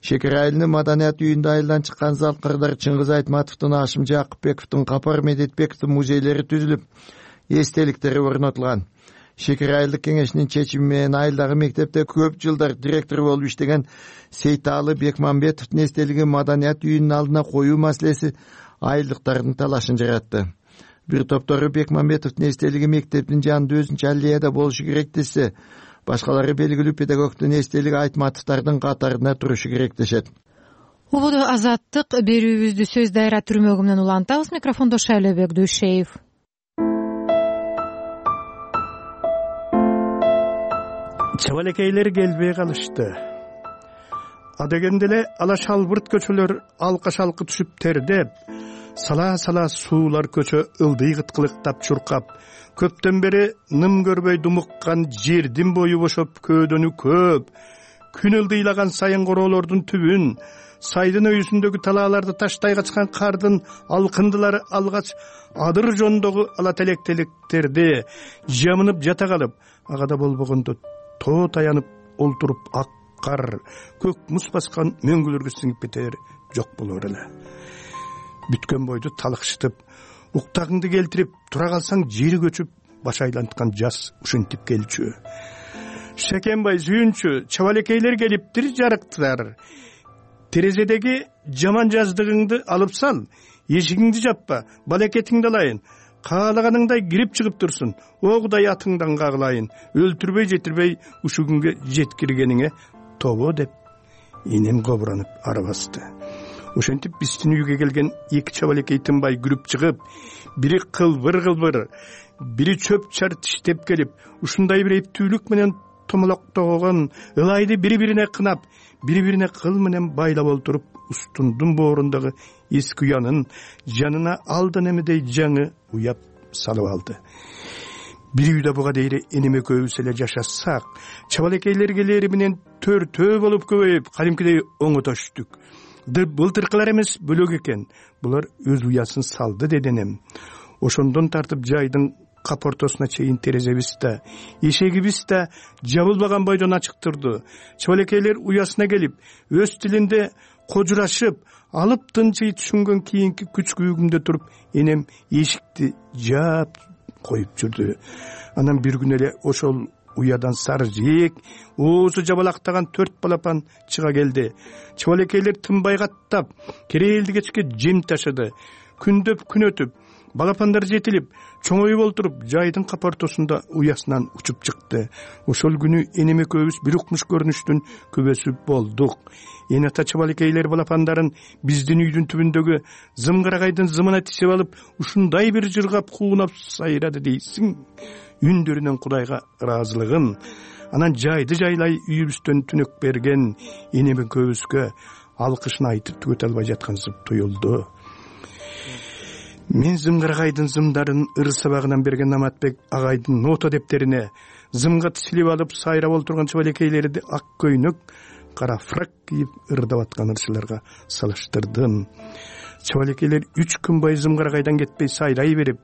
Шекер айылынын маданият үйүндө айылдан чыккан залкырдар Чыңгыз Айтматовдун, Ашым Жакыпбековдун, Капар Медетбековдун музейлери түзүлүп, эстеликтери орнотулган. Шекер айылдык кеңешинин чечими менен айылдагы мектепте көп жылдар директор болуп иштеген Сейталы Бекмамбетовдун эстелигин маданият үйүнүн алдына коюу маселеси айылдыктардын талашын жаратты. Бир топтору Бекмамбетовдун эстелиги мектептин жанында өзүнчө аллеяда болушу керек десе, башкалары белгилүү педагогдун эстелиги Айтматовдардын катарында турушу керек дешет. Убуду Азаттык берүүбүздү сөз дайра түрмөгү менен улантабыз. Микрофондо Шайлебек Дүйшеев. Чабалекейлер келбей калышты. Адегенде эле ала шалбырт көчөлөр алка шалкы түшүп тердеп, сала-сала суулар көчө ылдый кыткылыктап чуркап, көптөн бери ным көрбөй думуккан жердин бою бошоп көөдөнү көп, күн ылдыйлаган сайын короолордун түбүн, сайдын өйүсүндөгү талааларды таштай качкан кардын алкындылары алгач адыр жондогу ала телек-телектерди жамынып жата калып, агада болбогондо тоо таянып олтуруп ак кар, көк муз баскан мөңгүлөргө сиңип кетер жок болор эле. Бүткөн бойду талыкшытып, уктагыңды келтирип, тура калсаң жери көчүп, баш айланткан жаз ушинтип келчү. Шекенбай сүйүнчү, чабалекейлер келиптир жарыктар. Терезедеги жаман жаздыгыңды алып сал, эшигиңди жаппа, балекетиңди алайын. Каалаганыңдай кирип чыгып турсун, огудай атыңдан кагылайын, өлтүрбөй жетирбей ушу күнгө жеткиргениңе тобо деп энем кобуранып арабасты. Ошентип биздин үйгө келген эки чабалекей тынбай күлүп чыгып, бири кылбыр-кылбыр, бири чөп чар тиштеп келип, ушундай бир эптүүлүк менен томолоктогон ылайды бири-бирине кынап, бири-бирине кыл менен байлап олтуруп, устундун боорундагы эски уянын жанына алдан эмедей жаңы уяп салып алды. Бир үйдө буга дейре энем экөөбүз эле жашасак, чабалекейлер келери менен төртөө болуп көбөйүп, кадимкидей оңотоштук. Былтыркылар эмес, бөлөк экен. Булар өз уясын салды, деди энем. Ошондон тартып жайдын капортосуна чейин терезебиз да, эшегибиз да жабылбаган бойдон ачык турду. Чабалекейлер уясына келип, өз тилинде кожурашып, алып тынчый түшүнгөн кийинки күч күйүгүмдө туруп, энем эшикти жаап коюп жүрдү. Анан бир күн эле ошол уядан сары жээк, оозу жабалактаган төрт балапан чыга келди. Чыбалекейлер тынбай каттап, керээлди кечке жем ташыды. Күндөп күн өтүп, балапандар жетилип, чоңоюп олтуруп, жайдын капа ортосунда уясынан учуп чыкты. Ошол күнү энем экөөбүз бир укмуш көрүнүштүн күбөсү болдук. Эне ата чыбалекейлер балапандарын биздин үйдүн түбүндөгү зымгырагайдын зымына тисеп алып, ушундай бир жыргап куунап сайрады дейсиң. Үндөрүнөн Кудайга ыраазылыгын, анан жайды жайлай үйүбүздөн түнөк берген энем экөөбүзгө алкышын айтып түгөтө албай жаткансып туюлду. Мен зымгырагайдын зымдарын ыр сабагынан берген Наматбек агайдын нота дептерине зымга тисилип алып сайрап олтурган чыбалекейлерди ак көйнөк, кара фрак кийип ырдап аткан ырчыларга салыштырдым. Чыбалекейлер үч күн бою зымгырагайдан кетпей сайрай берип,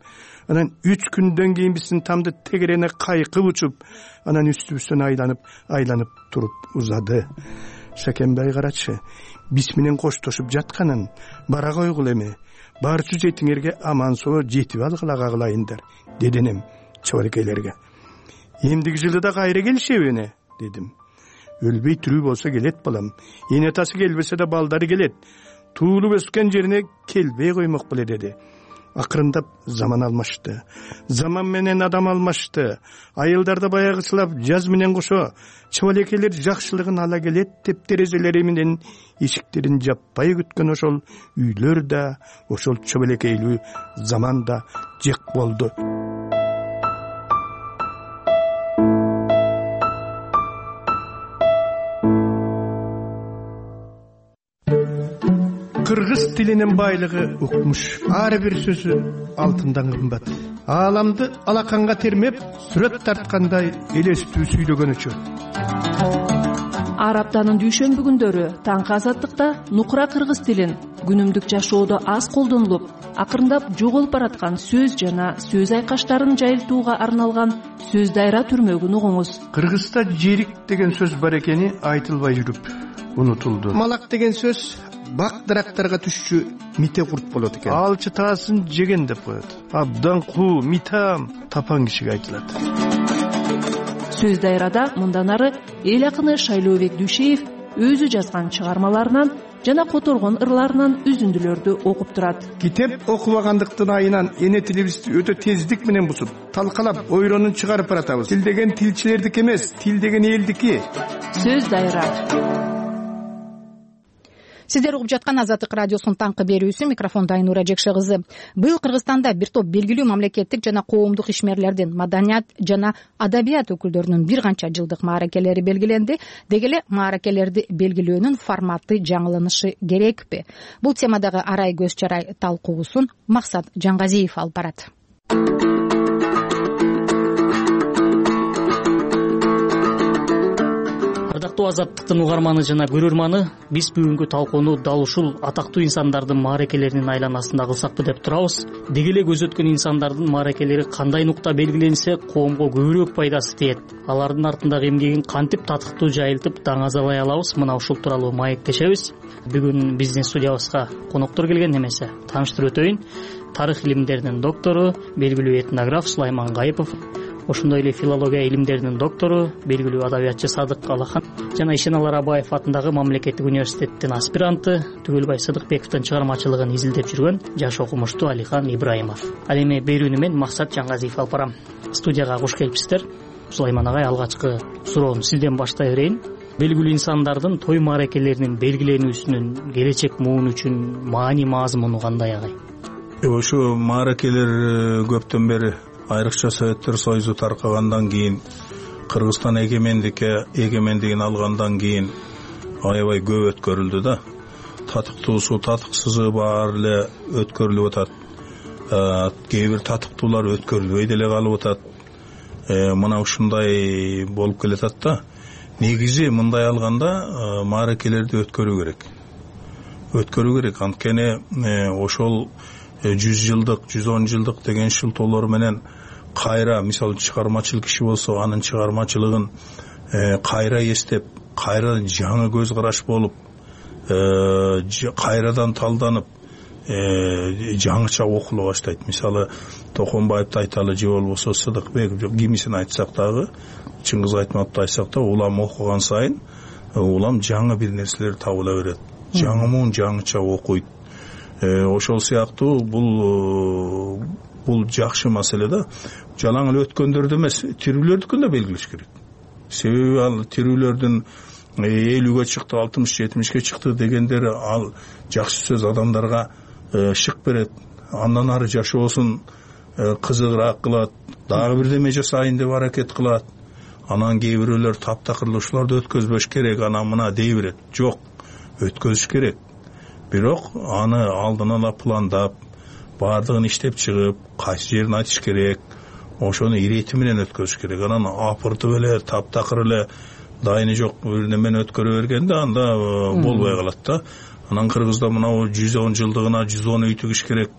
анан үч күндөн кийин биздин тамды тегерене кайкып учуп, анан үстүбүздөн айланып, айланып туруп узады. Шакенбай карачы, биз менен коштошуп жатканын бара койгул эми. Барчу жетиңерге аман соо жетип алгыла кагылайындар, деди энем чыбалекейлерге. Эмдиги жылы да кайра келишеби эне, дедим. Өлбөй тирүү болсо келет балам. Эне атасы келбесе да балдары келет. Туулуп өскөн жерине келбей коймок беле, деди. Акырындап заман алмашты. Заман менен адам алмашты. Айылдарда баягычылап жаз менен кошо чыбалекейлер жакшылыгын ала келет деп терезелери менен эшиктерин жаппай күткөн ошол үйлөр да, ошол чыбалекейлүү заман да жек болду. Кыргыз тилинин байлыгы укмуш. Ар бир сөзү алтындан кымбат. Ааламды алаканга термеп, сүрөт тарткандай элестүү сүйлөгөн үчүн. Ар аптанын дүйшөмбү күндөрү таңкы азаттыкта нукура кыргыз тилин күнүмдүк жашоодо аз колдонулуп, акырындап жоголуп бараткан сөз жана сөз айкаштарын жайылтууга арналган сөз дайра түрмөгүн угуңуз. Кыргызда жерик деген сөз бар экени айтылбай жүрүп унутулду. Малак деген сөз бак дарактарга түшчү мите курт болот экен. Алчы таасын жеген деп коет. Абдан куу, митам тапан кишиге айтылат. Сөз дайрада мындан ары эл акыны Шайлообек Дүйшеев өзү жазган чыгармаларынан жана которгон ырларынан үзүндүлөрдү окуп турат. Китеп окубагандыктын айынан эне тилибизди өтө тездик менен бузуп, талкалап, ойронун чыгарып баратабыз. Тил деген тилчилердики эмес, тил деген элдики. Сөз дайра. Сиздер угуп жаткан Азаттык радиосунун таңкы берүүсү, микрофондо Айнура Жекше кызы. Быйыл Кыргызстанда бир топ белгилүү мамлекеттик жана коомдук ишмерлердин, маданият жана адабият өкүлдөрүнүн бир канча жылдык мааракелери белгиленди. Деги эле мааракелерди белгилөөнүн форматы жаңыланышы керекпи? Бул темадагы арай көз чарай талкуусун Максат Жаңгазиев алып барат. Азаттыктын угарманы жана көрөрманы, биз бүгүнкү талкууну дал ушул атактуу инсандардын мааракелеринин айланасында кылсакпы деп турабыз. Деги эле көз өткөн инсандардын мааракелери кандай нукта белгиленсе, коомго көбүрөөк пайдасы тиет. Алардын артындагы эмгегин кантип татыктуу жайылтып даңазалай алабыз, мына ушул тууралуу маектешебиз. Бүгүн биздин студиябызга коноктор келген, эмесе тааныштырып өтөйүн. Тарых илимдеринин доктору, белгилүү этнограф Сулайман Гайыпов, ошондой эле филология илимдеринин доктору, белгилүү адабиятчы Садык Алахан жана Ишеналар Абаев атындагы мамлекеттик университеттин аспиранты Түгөлбай Сыдыкбековдун чыгармачылыгын изилдеп жүргөн жаш окумуштуу Алихан Ибраимов. Ал эми берүүнү мен Максат Жаңгазиев алып барам. Студияга куш келипсиздер. Сулайман агай, алгачкы суроону сизден баштай берейин. Белгилүү инсандардын той мааракелеринин белгиленүүсүнүн келечек муун үчүн маани мазмуну кандай агай? Ошо мааракелер көптөн бери, айрыкча Советтер Союзу таркагандан кийин, Кыргызстан эгемендикке эгемендигин алгандан кийин аябай көп өткөрүлдү да. Татыктуусу, татыксызы баары эле өткөрүлүп атат. Кээ бир татыктуулар өткөрүлбөй деле калып атат. Мына ушундай болуп келатат да. Негизи мындай алганда мааракелерди өткөрүү керек. Өткөрүү керек. Анткени ошол жүз жылдык, жүз он жылдык деген шылтоолор менен кайра, мисалы чыгармачыл киши болсо, анын чыгармачылыгын кайра эстеп, кайра жаңы көз караш болуп, кайрадан талданып, жаңыча окуло баштайт. Мисалы Токонбаевди айталы же болбосо Сыдыкбеков, кимисин айтсак дагы, Чыңгыз Айтматовду айтсак да, улам окуган сайын улам жаңы бир нерселер табыла берет. Жаңымун жаңыча окуйт. Ошол сыяктуу бул бул жакшы маселе да. Жалаң эле өткөндөрдү эмес, тирүүлөрдүкүн да белгилеш керек. Себеби ал тирүүлөрдүн элүүгө чыкты, алтымыш жетимишке чыкты дегендер ал жакшы сөз адамдарга шык берет. Андан ары жашоосун кызыгыраак кылат, дагы бирдеме жасайын деп аракет кылат. Анан кээ бирөөлөр таптакыр ушуларды өткөзбөш керек, анан мына дей берет. Жок, өткөзүш керек. Бирок аны алдын ала пландап, баардыгын иштеп чыгып, кайсы жерин айтыш керек, ошону ирети менен өткөзүш керек. Анан апыртып эле, таптакыр эле дайыны жок бир немени өткөрө бергенде анда болбой калат да. Анан Кыргызда мына жүз он жылдыгына жүз он үй тигиш керек,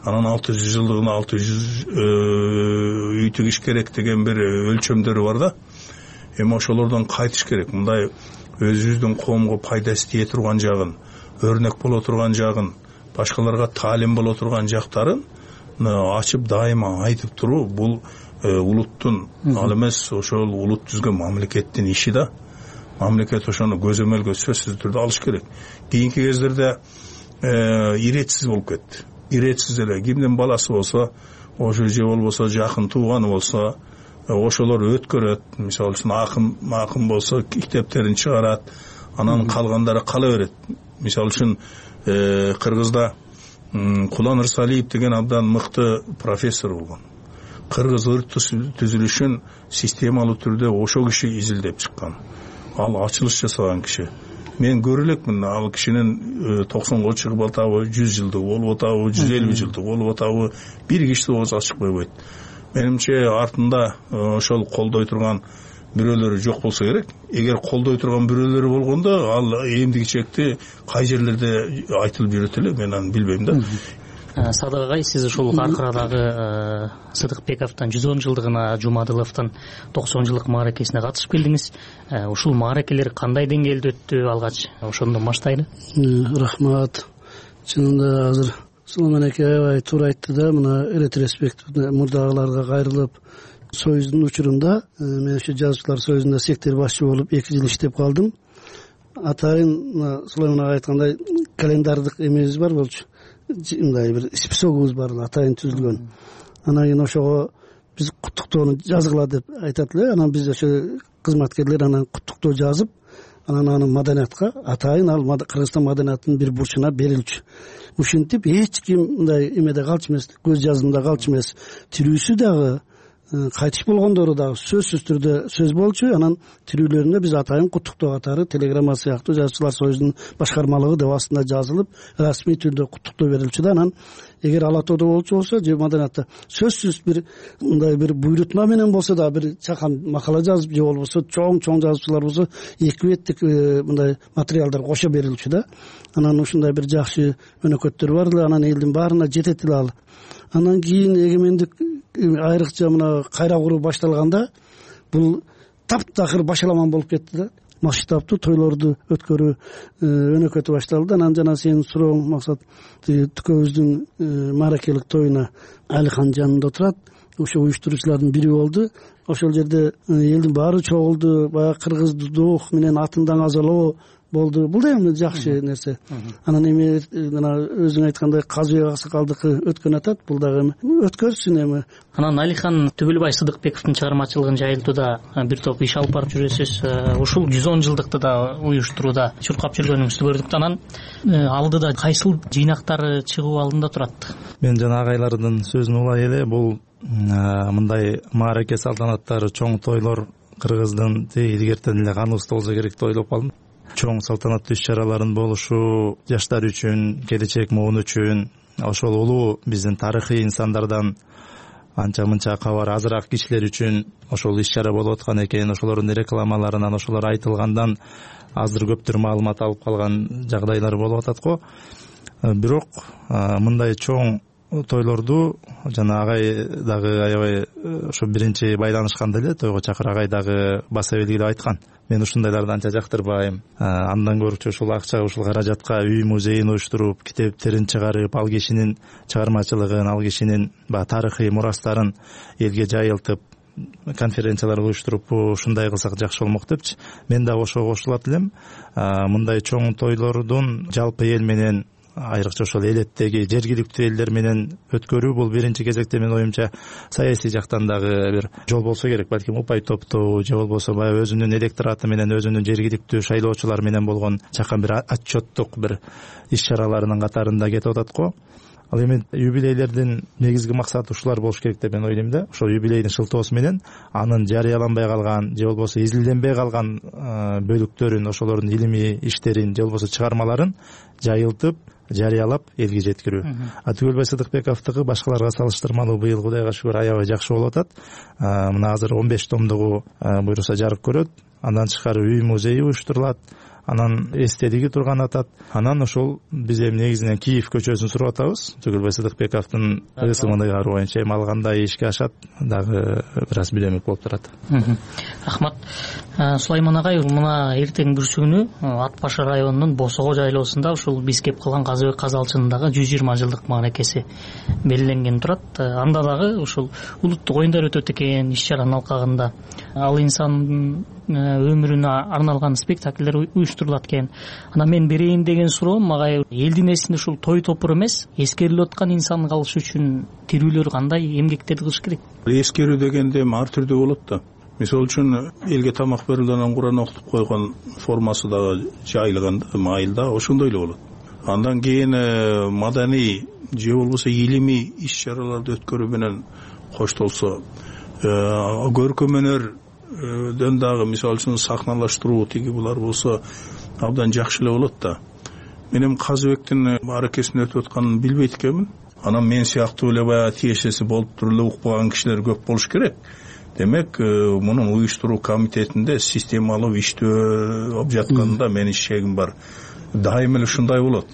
анан алты жүз жылдыгына алты жүз үй тигиш керек деген бир өлчөмдөрү бар да. Эми ошолордон кайтыш керек. Мындай өзүбүздүн коомго пайдасы тие турган жагын, өрнөк боло турган жагын, башкаларга таалим боло турган жактарын ачып дайыма айтып туруу бул улуттун, ал эмес ошол улут түзгөн мамлекеттин иши да. Мамлекет ошону көзөмөлгө сөзсүз түрдө алыш керек. Кийинки кездерде иретсиз болуп кетти. Иретсиз эле кимдин баласы болсо, ошо же болбосо жакын тууганы болсо, ошолор өткөрөт. Мисалы үчүн акын акын болсо китептерин чыгарат, анан калгандары кала берет. Мисалы үчүн Кыргызда Кулан Ырсалиев деген абдан мыкты профессор болгон. Кыргыз ыр түзүлүшүн системалуу түрдө ошо киши изилдеп чыккан. Ал ачылыш жасаган киши. Мен көрө элекмин ал кишинин токсонго чыгып атабы, жүз жылдыгы болуп атабы, жүз элүү жылдыгы болуп атабы, бир киши ооз ачык койбойт. Менимче артында ошол колдой турган бирөөлөрү жок болсо керек. Эгер колдой турган бирөөлөрү болгондо ал эмдиги чекти кай жерлерде айтылып жүрөт эле, мен аны билбейм да. Садык агай, сиз ушул Каркарадагы Сыдыкбековдун жүз он жылдыгына, Жумадыловдун токсон жылдык мааракесине катышып келдиңиз. Ушул мааракелер кандай деңгээлде өттү алгач? Ошондон баштайлы. Рахмат. Чынында азыр Сулайман аке аябай туура айтты да, мына ретроспективде мурдагыларга кайрылып, Союздун учурунда мен ошо жазуучулар союзунда сектор башчы болуп эки жыл иштеп калдым. Атайын Сулайман ага айткандай календардык эмебиз бар болчу. Мындай бир списогубуз бар, атайын түзүлгөн. Анан кийин ошого биз куттуктоону жазгыла деп айтат эле. Анан биз ошо кызматкерлер анан куттуктоо жазып, анан аны маданиятка атайын ал Кыргызстан маданиятынын бир бурчуна берилчү. Ушинтип эч ким мындай эмеде калчу эмес, көз жазымда калчу эмес. Тирүүсү дагы, кайтыш болгондору дагы сөзсүз түрдө сөз болчу. Анан тирүүлөрүнө биз атайын куттуктоо катары телеграмма сыяктуу жазуучулар союзунун башкармалыгы деп астында жазылып, расмий түрдө куттуктоо берилчү да. Анан эгер Ала Тоодо болчу болсо же маданиятта сөзсүз бир мындай бир буйрутма менен болсо да бир чакан макала жазып же болбосо чоң-чоң жазуучулар болсо эки беттик мындай материалдар кошо берилчү да. Анан ушундай бир жакшы өнөкөттөр бар эле, анан элдин баарына жетет эле ал. Анан кийин эгемендик айрыкча мына кайра куруу башталганда бул таптакыр башаламан болуп кетти да. Масштабтуу тойлорду өткөрүү өнөкөтү башталды. Анан жана сенин сурооң максат, түкөбүздүн мааракелик тоюна Алихан жанында отурат. Ошо уюштуруучулардын бири болду. Ошол жерде элдин баары чогулду, баягы кыргыздуулук менен атындан азалоо болду. Бул да эми жакшы нерсе. Анан эми мына өзүң айткандай Казыбек Аксакалдыкы өткөн атат, бул дагы эми өткөрсүн эми. Анан Алихан Түбөлбай Сыдыкбековдун чыгармачылыгын жайылтууда бир топ иш алып барып жүрөсүз. Ушул жүз он жылдыкты да уюштурууда чуркап жүргөнүңүздү көрдүк. Анан алдыда кайсыл жыйнактары чыгуу алдында турат? Мен жана агайлардын сөзүн улай эле, бул мындай маараке салтанаттары, чоң тойлор Кыргыздын илгертен эле каныбызда болсо керек деп ойлоп калдым. Чоң салтанаттуу иш-чараларын болушу жаштар үчүн, келечек муун үчүн, ошол улуу биздин тарыхый инсандардан анча мынча кабар азыраак кишилер үчүн ошол иш-чара болуп аткан экен. Ошолордун рекламаларынан, ошолор айтылгандан азыр көптөр маалымат алып калган жагдайлар болуп атат го. Бирок мындай чоң тойлорду жана агай дагы аябай ошо биринчи байланышканда эле тойго чакыр агай дагы баса белгилеп айткан. мен ушундайларды анча жактырбайм. Андан көрчү ушул акча ушул каражатка үй музейин уюштуруп, китептерин чыгарып, ал кишинин чыгармачылыгын, ал кишинин баягы тарыхый мурастарын элге жайылтып, конференциялар уюштуруп ушундай кылсак жакшы болмок депчи. Мен дагы ошого кошулат элем. Мындай чоң тойлордун жалпы эл менен, айрыкча ошол элеттеги жергиликтүү элдер менен өткөрүү бул биринчи кезекте менин оюмча саясий жактан дагы бир жол болсо керек. Балким упай топтоо же болбосо баягы өзүнүн электораты менен, өзүнүн жергиликтүү шайлоочулар менен болгон чакан бир отчеттук бир иш чараларынын катарында кетип атат го. Ал эми юбилейлердин негизги максаты ушулар болуш керек деп мен ойлойм да. Ошол юбилейдин шылтоосу менен анын жарыяланбай калган же болбосо изилденбей калган бөлүктөрүн, ошолордун илимий иштерин же болбосо чыгармаларын жайылтып, жарыялап элге жеткирүү. А Түгөлбай Сыдыкбековдугу башкаларга салыштырмалуу быйыл Кудайга шүгүр аябай жакшы болуп атат. Мына азыр он беш томдугу буюрса жарык көрөт. Андан тышкары үй музейи уюштурулат. Анан эстелиги турган атат. Анан ошол биз эми негизинен Киев көчөсүн суруп атабыз. Түгөлбай Сыдыкбековдун ысымдыгы боюнча эми ал кандай ишке ашат дагы бир аз билемик болуп турат. Рахмат. Сулайман агай, мына эртең бүрсүгүнү Ат Башы районунун Босого жайлоосунда ушул биз кеп калган Казыбек казалчынындагы жүз жыйырма жылдык мааракеси белгиленген турат. Анда дагы ушул улуттук оюндар өтөт экен иш чаранын алкагында. Ал инсандын өмүрүнө арналган спектакльдер уюштурулат экен. Анан мен берейин деген суроом, агай, элдин эсинде ушул той топур эмес, эскерилип аткан инсан калыш үчүн тирүүлөр кандай эмгектерди кылыш керек? Эскерүү дегенде ар түрдүү болот да. Мисалы үчүн элге тамак берүүдөн Куран окутуп койгон формасы дагы жайылган майылда ошондой эле болот. Андан кийин маданий же болбосо илимий иш чараларды өткөрүү менен коштолсо, көркөм өнөрдөн дагы мисалы үчүн сахналаштыруу тиги булар болсо абдан жакшы эле болот да. Мен эми Казыбектин мааракесин өтүп атканын билбейт экенмин. Анан мен сыяктуу эле баягы тиешеси болуп туруп эле укпаган кишилер көп болуш керек. Демек, мунун уюштуруу комитетинде системалуу иштөө болуп жатканында менин шегим бар. Дайым эле ушундай болот.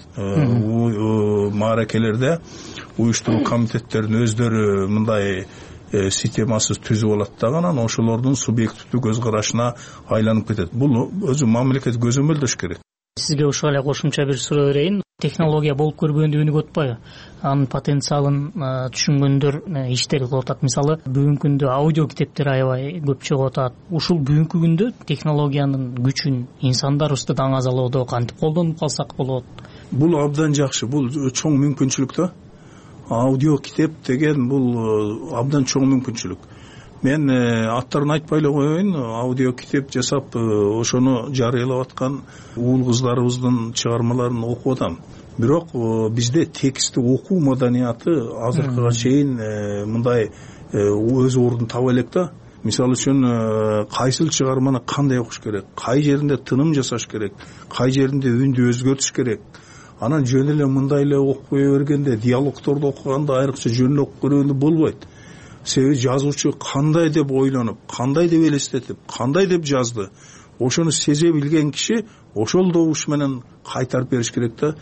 Мааракелерде уюштуруу комитеттеринин өздөрү мындай системасыз түзүп алат дагы, анан ошолордун субъективдүү көз карашына айланып кетет. Бул өзү мамлекет көзөмөлдөш керек. Сизге ушул эле кошумча бир суроо берейин. Технология болуп көрбөгөндө үнүгүп атпайбы? Анын потенциалын түшүнгөндөр иштери кылып атат. Мисалы, бүгүнкү күндө аудио китептер аябай көп чыгып атат. Ушул бүгүнкү күндө технологиянын күчүн инсандарыбызды даңазалоодо кантип колдонуп калсак болот? Бул абдан жакшы, бул чоң мүмкүнчүлүк да. Аудио китеп деген бул абдан чоң мүмкүнчүлүк. Мен аттарын айтпай эле коеюн, аудио китеп жасап ошону жарыялап аткан уул кыздарыбыздын чыгармаларын окуп атам. Бирок бизде текстти окуу маданияты азыркыга чейин мындай өз ордун таба элек да. Мисалы үчүн кайсыл чыгарманы кандай окуш керек, кай жеринде тыным жасаш керек, кай жеринде үндү өзгөртүш керек. Анан жөн эле мындай эле окуй бергенде, диалогторду окуганда айрыкча жөн эле окуп көргөндө болбойт. Себеби жазуучу кандай деп ойлонуп, кандай деп элестетип, кандай деп жазды, ошону сезе билген киши ошол добуш менен кайтарып бериш керек да.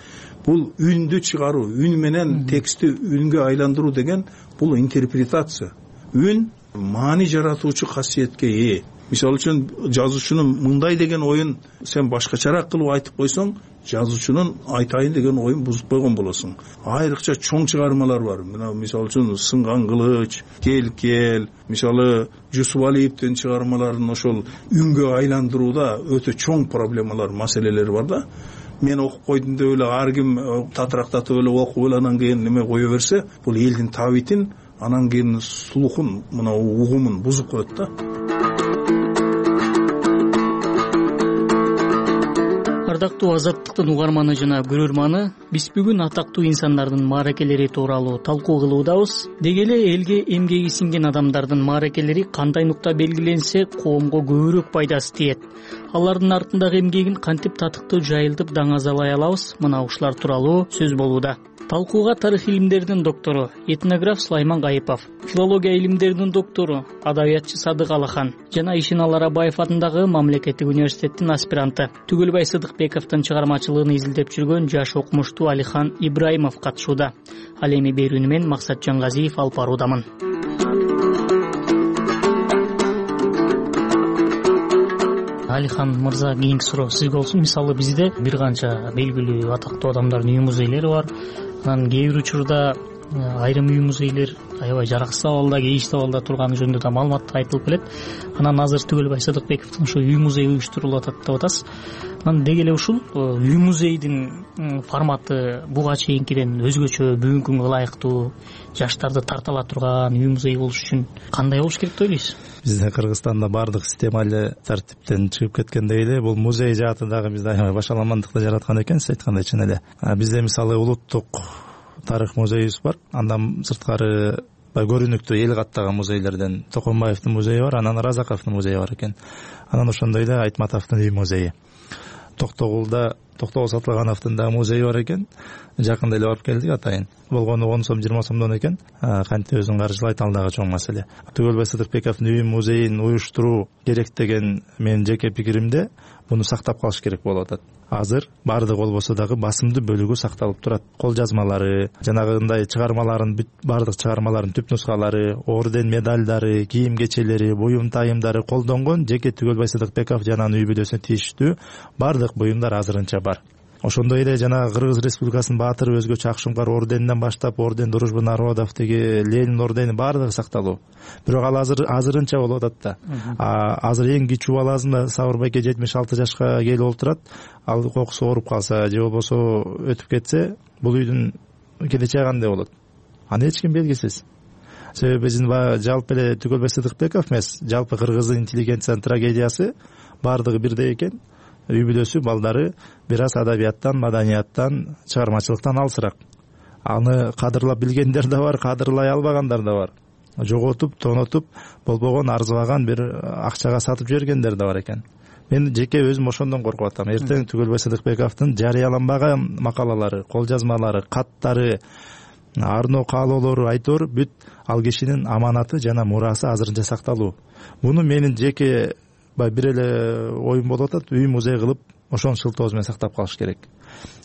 Бул үндү чыгаруу, үн менен текстти үнгө айландыруу деген бул интерпретация. Үн маани жаратуучу касиетке ээ. Мисалы үчүн жазуучунун мындай деген оюн сен башкачараак кылып айтып койсоң, жазуучунун айтайын деген оюн бузуп койгон болосуң. Айрыкча чоң чыгармалар бар. Мына мисалы үчүн Сынган кылыч, Кел кел, мисалы Жусупалиевдин чыгармаларын ошол үнгө айландырууда өтө чоң проблемалар, маселелер бар да. Мен окуп койдум деп эле ар ким татырактатып эле окуп эле анан кийин неме кое берсе, бул элдин табитин, анан кийин слухун, мына угумун бузуп коет да. Ардактуу Азаттыктын угарманы жана көрөрманы, биз бүгүн атактуу инсандардын мааракелери тууралуу талкуу кылуудабыз. Деги эле элге эмгеги сиңген адамдардын мааракелери кандай нукта белгиленсе, коомго көбүрөөк пайдасы тиет. Алардын артындагы эмгегин кантип татыктуу жайылтып даңазалай алабыз? Мына ушулар тууралуу сөз болууда. Талкууга тарых илимдеринин доктору, этнограф Сулайман Гайыпов, филология илимдеринин доктору, адабиятчы Садык Алахан жана Ишеналы Арабаев атындагы мамлекеттик университеттин аспиранты Түгөлбай Сыдыкбековдун чыгармачылыгын изилдеп жүргөн жаш окумуштуу Алихан Ибраимов катышууда. Ал эми берүүнү мен Максат Жангазиев алып баруудамын. Алихан мырза, кийинки суроо сизге болсун. Мисалы бизде бир канча белгилүү атактуу адамдардын үй музейлери бар. Анан кээ бир учурда айрым үй музейлер аябай жараксыз абалда, кейиштүү абалда турганы жөнүндө да маалымат айтылып келет. Анан азыр Түгөлбай Сыдыкбековдун ушу үй музейи уюштурулуп атат деп атасыз. Анан деги эле ушул үй музейдин форматы буга чейинкиден өзгөчө, бүгүнкү күнгө ылайыктуу, жаштарды тарта ала турган үй музей болуш үчүн кандай болуш керек деп ойлойсуз? Бизде Кыргызстанда баардык система эле тартиптен чыгып кеткендей эле бул музей жааты дагы бизде аябай башаламандыкты жараткан экен, сиз айткандай чын эле. Бизде мисалы улуттук тарых музейибиз бар. Андан сырткары көрүнүктүү эл каттаган музейлерден Токомбаевдин музейи бар, анан Разаковдун музейи бар экен. Анан ошондой эле Айтматовдун үй музейи. Токтогулда Токтогул Сатылгановдун да музейи бар экен. Жакында эле барып келдик атайын. Болгону он сом жыйырма сомдон экен. Кантип өзүн каржылайт ал дагы чоң маселе. Түгөлбай Сыдыкбековдун үй музейин уюштуруу керек деген менин жеке пикиримде муну сактап калыш керек болуп атат. Азыр баардык болбосо дагы басымдуу бөлүгү сакталып турат. Кол жазмалары, жанагындай чыгармаларын, баардык чыгармаларын түп нускалары, орден медалдары, кийим кечелери, буюм тайымдары колдонгон жеке Түгөлбай Сыдыкбеков жана анын үй бүлөсүнө тийиштүү баардык буюмдар азырынча бар. Ошондой эле жана Кыргыз Республикасынын баатыры өзгөчө Акшумкар орденинен баштап орден Дружбы народов деги Ленин ордени баардыгы сакталуу. Бирок ал азыр азырынча болуп атат да. Азыр эң кичүү баласын Сабыр байке жетимиш алты жашка келип олтурат. Ал кокусу ооруп калса же болбосо өтүп кетсе, бул үйдүн келечеги кандай болот? Аны эч ким белгисиз. Себеби биздин жалпы эле Түгөлбай Сыдыкбеков эмес, жалпы кыргыздын интеллигенциянын трагедиясы баардыгы бирдей экен. Үй бүлөсү балдары бир аз адабияттан, маданияттан, чыгармачылыктан алсырак. Аны кадырлап билгендер да бар, кадырлай албагандар да бар. Жоготуп, тонотуп, болбогон арзыбаган бир акчага сатып жибергендер да бар экен. Мен жеке өзүм ошондон коркуп атам. Эртең Түгөлбай Сыдыкбековдун жарыяланбаган макалалары, кол жазмалары, каттары, арно каалоолору айтор бүт ал кишинин аманаты жана мурасы азырынча сакталуу. Муну менин жеке бир эле оюм болуп атат. Үй музей кылып ошонун шылтоосу менен сактап калыш керек.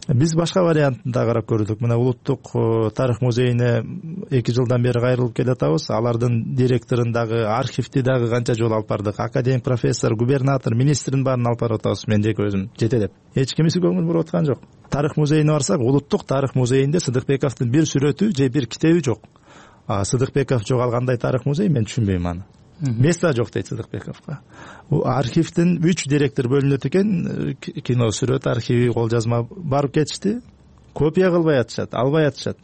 Биз башка вариантын да карап көрдүк. Мына улуттук тарых музейине эки жылдан бери кайрылып келатабыз. Алардын директорун дагы, архивди дагы канча жолу алып бардык. Академик профессор, губернатор, министрин баарын алып барып атабыз. Мен жеке өзүм жетелеп. Эч кимиси көңүл буруп аткан жок. Тарых музейине барсак, улуттук тарых музейинде Сыдыкбековдун бир сүрөтү же бир китеби жок. А Сыдыкбеков жоголгандай тарых музей, мен түшүнбөйм аны. Места жок дейт Сыдыкбековго. Архивдин үч директор бөлүнөт экен, кино, сүрөт архиви, кол жазма барып кетишти. Копия кылбай атышат, албай атышат.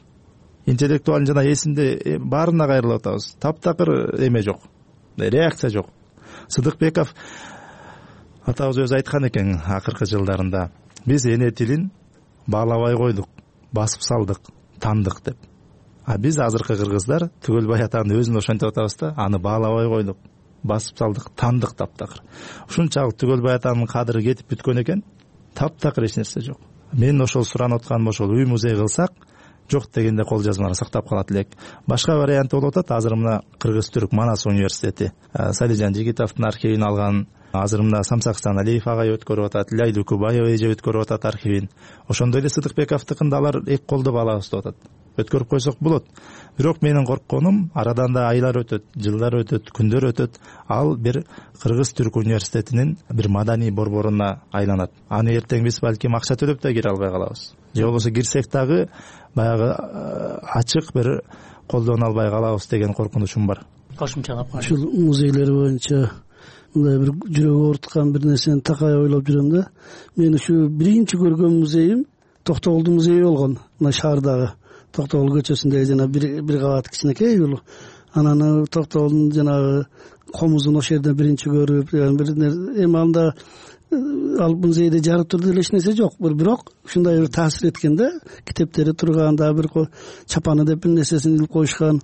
Интеллектуалдын жана эсинде баарына кайрылып атабыз. Таптакыр эме жок, реакция жок. Сыдыкбеков атабыз өзү айткан экен акыркы жылдарында: биз эне тилин баалабай койдук, басып салдык, таандык деп. А биз азыркы кыргыздар Түгөлбай атанын өзүн ошентип атабыз да, аны баалабай койдук, басып салдык, таандык таптакыр. Ушунчалык Түгөлбай атанын кадыры кетип бүткөн экен, таптакыр эч нерсе жок. Мен ошол суранып атканым ошол, үй музей кылсак, жок дегенде кол жазмалар сактап калат элек. Башка вариант болуп атат. Азыр мына Кыргыз-Түрк Манас университети Салижан Жигитовдун архивин алган. Азыр мына Самсакстан Алиев агай өткөрүп атат, Лайлу Кубаева эже өткөрүп атат архивин. Ошондой эле Сыдыкбековдукун да алар эки колдоп алабыз деп атат. Өткөрүп койсок болот. Бирок менин коркконум, арадан да айлар өтөт, жылдар өтөт, күндөр өтөт, ал бир Кыргыз-Түрк университетинин бир маданий борборуна айланат. Аны эртең биз балким акча төлөп да кире албай калабыз. Же болбосо кирсек дагы баягы ачык бир колдоно албай калабыз деген коркунучум бар. Кошумчалап, ушул музейлер боюнча мындай бир жүрөгү ооруткан бир нерсени такай ойлоп жүрөм да. Мен ушу биринчи көргөн музейим Токтогулдун музейи болгон, мына шаардагы Токтогул көчөсүндө жана бир бир кабат кичинекей үй. Анан Токтогулдун жанагы комузун ошол жерде биринчи көрүп, бир эми анда ал музейде жарык турду эле эч нерсе жок. Бирок ушундай бир таасир эткен да, китептери турган, дагы бир чапаны деп бир нерсесин илип коюшкан.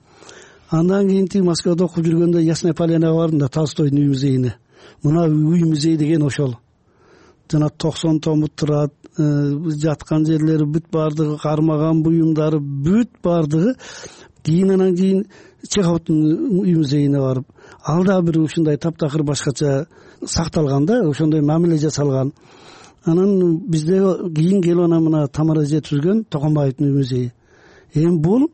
Андан кийин тиги Москвада окуп жүргөндө Ясная Поляна бардым да, Толстойдун үй музейине. Мына үй музей деген ошол. Жана токсон томут турат, жаткан жерлери бүт баардыгы, кармаган буюмдары бүт баардыгы. Кийин анан кийин Чеховдун үй музейине барып, ал да бир ушундай таптакыр башкача сакталган да, ошондой мамиле жасалган. Анан бизде кийин келип анан мына Тамара жеткизген Токомбаевдин үй музейи. Эми бул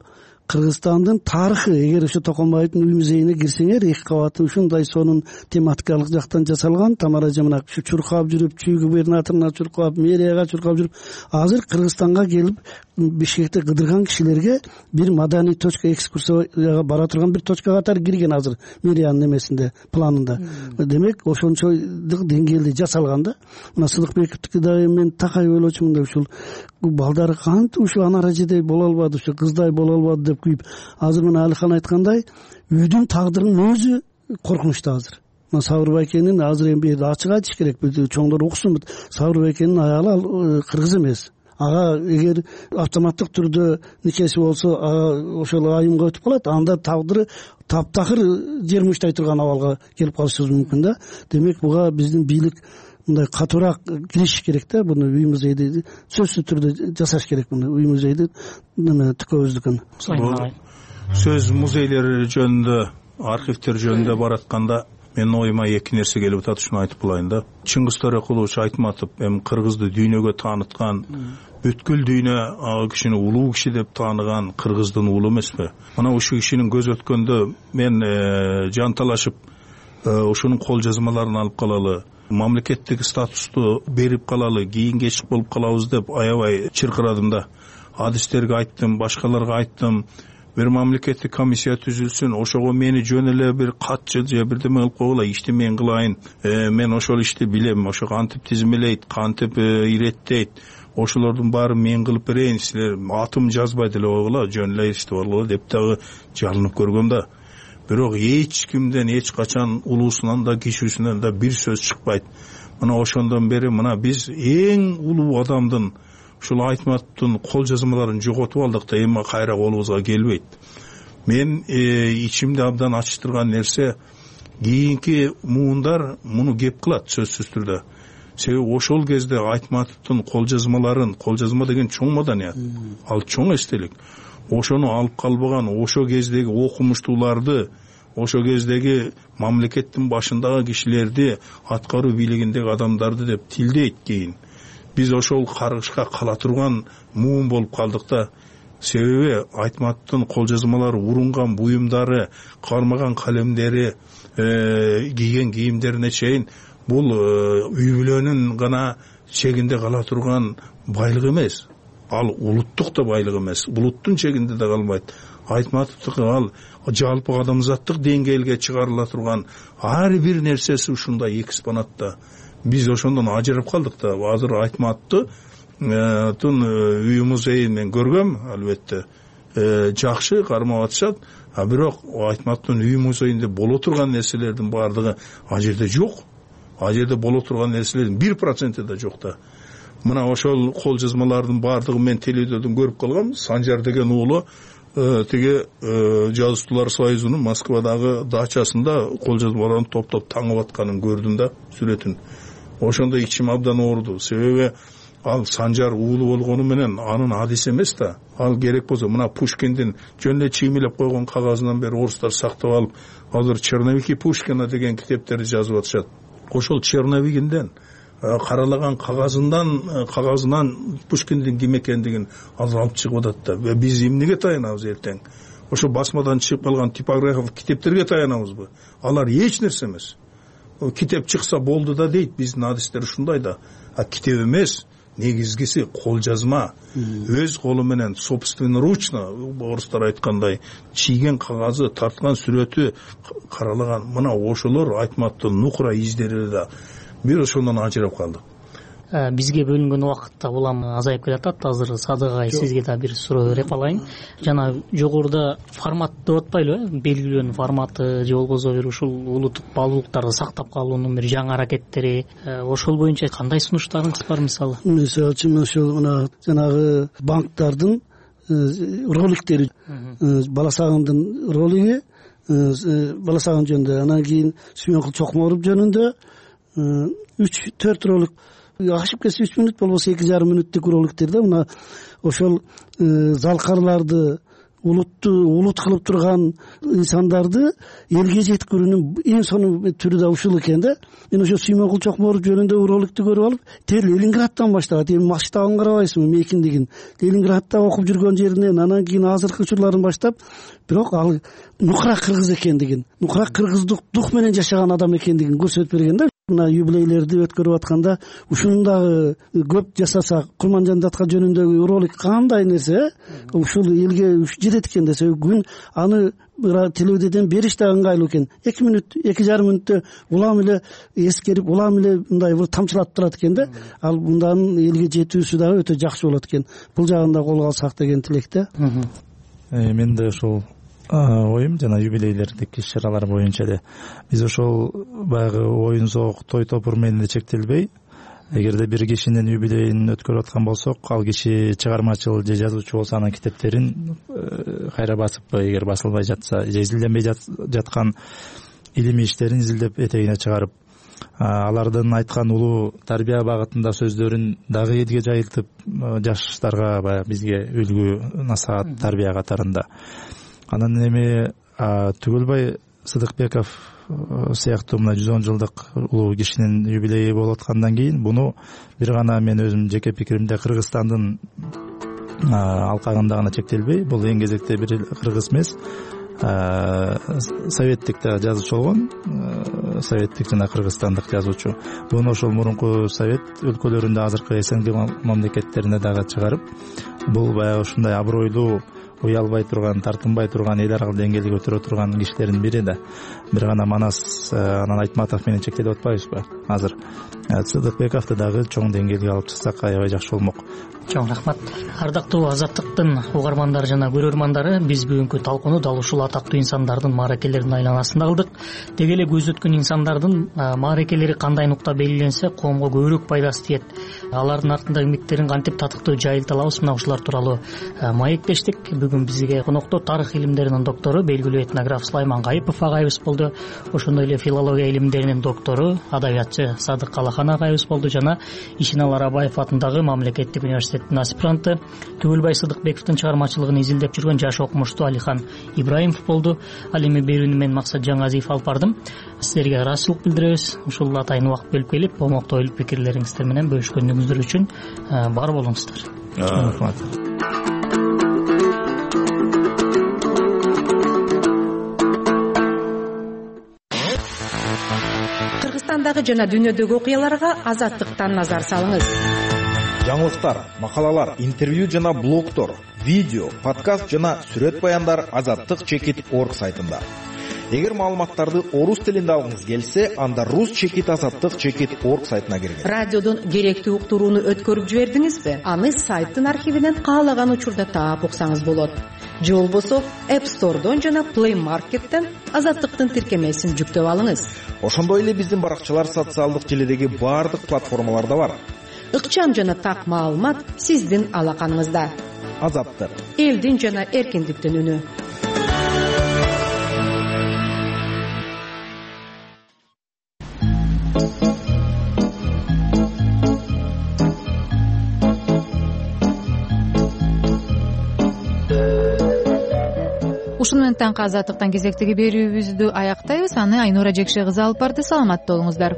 Кыргызстандын тарыхы. Эгер ошо Токомбаевдин үй музейине кирсеңер, эки кабаты ушундай сонун тематикалык жактан жасалган. Тамара жамана ушу чуркап жүрүп, чүй губернаторуна чуркап, мэрияга чуркап жүрүп, азыр Кыргызстанга келип Бишкекте кыдырган кишилерге бир маданий точка, экскурсияга бара турган бир точка катары кирген азыр мэриянын эмесинде, планында. Демек, ошончолук деңгээлде жасалган да. Мына Сыдыкбековдики дагы мен такай ойлочумун да, ушул балдар кантип ушу анара жедей боло албады, ушу кыздай боло албады деп күйүп. Азыр мына Алихан айткандай, үйдүн тагдырынын өзү коркунучта азыр. Мына Сабыр байкенин азыр эми бир ачык айтыш керек, чоңдор уксун. Сабыр байкенин аялы ал кыргыз эмес. Ага эгер автоматтык түрдө никеси болсо, ага ошол айымга өтүп калат, анда тагдыры таптакыр жер мучтай турган абалга келип калышыбыз мүмкүн да. Демек, буга биздин бийлик мындай катуураак киришиш керек да. Буну үй музейди сөзсүз түрдө жасаш керек. Муну үй музейди тükөбүздүкүн. Сөз музейлери жөнүндө, архивтер жөнүндө баратканда мен оюма эки нерсе келип атат, ушуну айтып булайын да. Чыңгыз Төрөкулович Айтматов эми кыргызды дүйнөгө тааныткан, бүткүл дүйнө ал кишини улуу киши деп тааныган кыргыздын уулу эмеспи? Мына ушул кишинин көз өткөндө мен жанталашып ушунун кол жазмаларын алып калалы, мамлекеттик статусту берип калалы, кийин кечик болуп калабыз деп аябай чыркырадым да. Адистерге айттым, башкаларга айттым. Бир мамлекеттик комиссия түзүлсүн, ошого мени жөн эле бир катчы же бирдеме кылып койгула, ишти мен кылайын. Мен ошол ишти билем, ошо кантип тизмелейт, кантип иреттейт. Ошолордун баарын мен кылып берейин, силер атым жазбай деле койгула, жөн эле ишти болгула деп дагы жалынып көргөм да. Бирок эч кимден эч качан улуусунан да кичүүсүнөн да бир сөз чыкпайт. Мына ошондон бери мына биз эң улуу адамдын ушул Айтматовдун кол жазмаларын жоготуп алдык да, эми кайра колубузга келбейт. Мен ичимди абдан ачтырган нерсе, кийинки муундар муну кеп кылат сөзсүз түрдө. Себеби ошол кезде Айтматовдун кол жазмаларын, кол жазма деген чоң маданият, ал чоң эстелик. Ошону алып калбаган, ошо кездеги окумуштууларды, ошо кездеги мамлекеттин башындагы кишилерди, аткаруу бийлигиндеги адамдарды деп тилдейт кийин. Биз ошол каргышка кала турган муун болуп калдык да. Себеби Айтматовдун кол жазмалары, урунган буюмдары, кармаган калемдери, кийген кийимдерине чейин бул үй бүлөнүн гана чегинде кала турган байлык эмес. Ал улуттук да байлык эмес, булуттун чегинде да калбайт. Айтматовдуку ал жалпы адамзаттык деңгээлге чыгарыла турган ар бир нерсеси ушундай экспонатта. Биз ошондон ажырап калдык да. Азыр Айтматовдун үй музейин мен көргөм, албетте жакшы кармап атышат, а бирок Айтматовдун үй музейинде боло турган нерселердин баардыгы ал жерде жок. Ал жерде боло турган нерселердин бир проценти да жок да. Мына ошол кол жазмалардын баардыгын мен телевизордон көрүп калгам. Санжар деген уулу тиги жазуучулар союзунун Москвадагы дачасында кол жазмаларын топтоп таңып атканын көрдүм да, сүрөтүн. Ошондо ичим абдан ооруду. Себеби ал Санжар уулу болгону менен анын адиси эмес да. Ал керек болсо мына Пушкиндин жөн эле чиймелеп койгон кагазынан бери орустар сактап алып, азыр Черновики Пушкина деген китептерди жазып атышат. Ошол Черновигинден каралаган кагазынан кагазынан Пушкиндин ким экендигин азыр алып чыгып атат да. Биз эмнеге таянабыз эртең? Ошо басмадан чыгып калган типографиялык китептерге таянабызбы? Алар эч нерсе эмес. Китеп чыкса болду да дейт биздин адистер, ушундай да. А китеп эмес, негизгиси кол жазма. Өз колу менен собственноручно, орустар айткандай, чийген кагазы, тарткан сүрөтү, каралаган. Мына ошолор Айтматовдун нукура издери да. Бир ошондон ажырап калдык. Бизге бөлүнгөн убакыт да улам азайып келатат. Азыр Садык агай, сизге да бир суроо берип алайын. Жана жогоруда формат деп атпайлыбы? Белгилүү форматы же болбосо бир ушул улуттук баалуулуктарды сактап калуунун бир жаңы аракеттери, ошол боюнча кандай сунуштарыңыз бар мисалы? Мисалы үчүн ошол мына жанагы банктардын роликтери, Бала Сагындын ролиги, Бала Сагын жөнүндө, анан кийин Сүйөнкул Чокморов жөнүндө үч төрт ролик, ашып кетсе үч мүнөт болбосо эки жарым мүнөттүк роликтерде мына ошол залкарларды улутту улут кылып турган инсандарды элге жеткирүүнүн эң сонун түрү да ушул экен да. Мен ошо Сүймөнкул Чокморов жөнүндөгү роликтти көрүп алып, тел Ленинградтан баштагат. Эми масштабын карабайсызбы, мейкиндигин. Ленинградта окуп жүргөн жеринен анан кийин азыркы учурларын баштап, бирок ал нукура кыргыз экендигин, нукура кыргыздык дух менен жашаган адам экендигин көрсөтүп берген да. Мына юбилейлерди өткөрүп атканда ушуну дагы көп жасасак, Курманжан датка жөнүндөгү ролик кандай нерсе, ушул элге жетет экен десе, күн аны телевидениеден бериш да ыңгайлуу экен. эки мүнөт, эки жарым мүнөттө улам эле эскерип, улам эле мындай бир тамчылатып турат экен да. Ал мындан элге жетүүсү дагы өтө жакшы болот экен. Бул жагын да колго алсак деген тилек да. Мен да ошол оюм жана юбилейлердик иш-чаралар боюнча эле биз ошол баягы оюн зоок, той топур менен эле чектелбей, эгерде бир кишинин юбилейин өткөрүп аткан болсок, ал киши чыгармачыл же жазуучу болсо анын китептерин кайра басыппы, эгер басылбай жатса, же изилденбей жаткан илимий иштерин изилдеп этегине чыгарып, алардын айткан улуу тарбия багытында сөздөрүн дагы элге жайылтып, жаштарга баягы бизге үлгү, насаат, тарбия катарында. Анан эми Түгөлбай Сыдыкбеков сыяктуу мына жүз он жылдык улуу кишинин юбилейи болуп аткандан кийин буну бир гана мен өзүм жеке пикиримде Кыргызстандын алкагында гана чектелбей, бул эң кезекте бир кыргыз эмес, советтик да жазуучу болгон, советтик жана кыргызстандык жазуучу. Буну ошол мурунку совет өлкөлөрүндө, азыркы СНГ мамлекеттерине дагы чыгарып, бул баягы ушундай абройлуу, уялбай турган, тартынбай турган, эл аралык деңгээлге көтөрө турган кишилердин бири да. Бир гана Манас, анан Айтматов менен чектелип атпайбызбы азыр? Сыдыкбековду дагы чоң деңгээлге алып чыксак аябай жакшы болмок. Чоң рахмат. Ардактуу Азаттыктын угармандары жана көрөрмандары, биз бүгүнкү талкууну дал ушул атактуу инсандардын мааракелеринин айланасында кылдык. Деги эле көз өткөн инсандардын мааракелери кандай нукта белгиленсе, коомго көбүрөөк пайдасы тиет. Алардын артындагы эмгектерин кантип татыктуу жайылта алабыз, мына ушулар тууралуу маектештик. Бүгүн бизге конокто тарых илимдеринин доктору, белгилүү этнограф Сулайман Гайыпов агайыбыз болду. Ошондой эле филология илимдеринин доктору, адабиятчы Садык Алахан агайыбыз болду жана Ишенал Арабаев атындагы мамлекеттик университеттин аспиранты, Түгөлбай Сыдыкбековдун чыгармачылыгын изилдеп жүргөн жаш окумуштуу Алихан Ибраимов болду. Ал эми берүүнү мен Максат Жаңазиев алып бардым. Сиздерге ыраазычылык билдиребиз. Ушул атайын убакыт бөлүп келип, момокто ойлоп пикирлериңиздер менен бөлүшкөнүңүздөр үчүн бар болуңуздар. Рахмат. Кыргызстандагы жана дүйнөдөгү окуяларга Азаттыктан назар салыңыз. Жаңылыктар, макалалар, интервью жана блогдор, видео, подкаст жана сүрөт баяндар азаттык чекит точка орг сайтында. Эгер маалыматтарды орус тилинде алгыңыз келсе, анда рус чекит азаттык чекит точка орг сайтына киргиз. Радиодон керектүү уктурууну өткөрүп жибердиңизби? Аны сайттын архивинен каалаган учурда таап уксаңыз болот. Же болбосо App Store'дон жана Play Market'тен Азаттыктын тиркемесин жүктөп алыңыз. Ошондой эле биздин баракчалар социалдык желидеги баардык платформаларда бар. Ыкчам жана так маалымат сиздин алаканыңызда. Азаттык. Элдин жана эркиндиктин үнү. Ушуну менен таңкы Азаттыктан кезектеги берүүбүздү аяктайбыз. Аны Айнура Жекше кызы алып барды. Саламатта болуңуздар.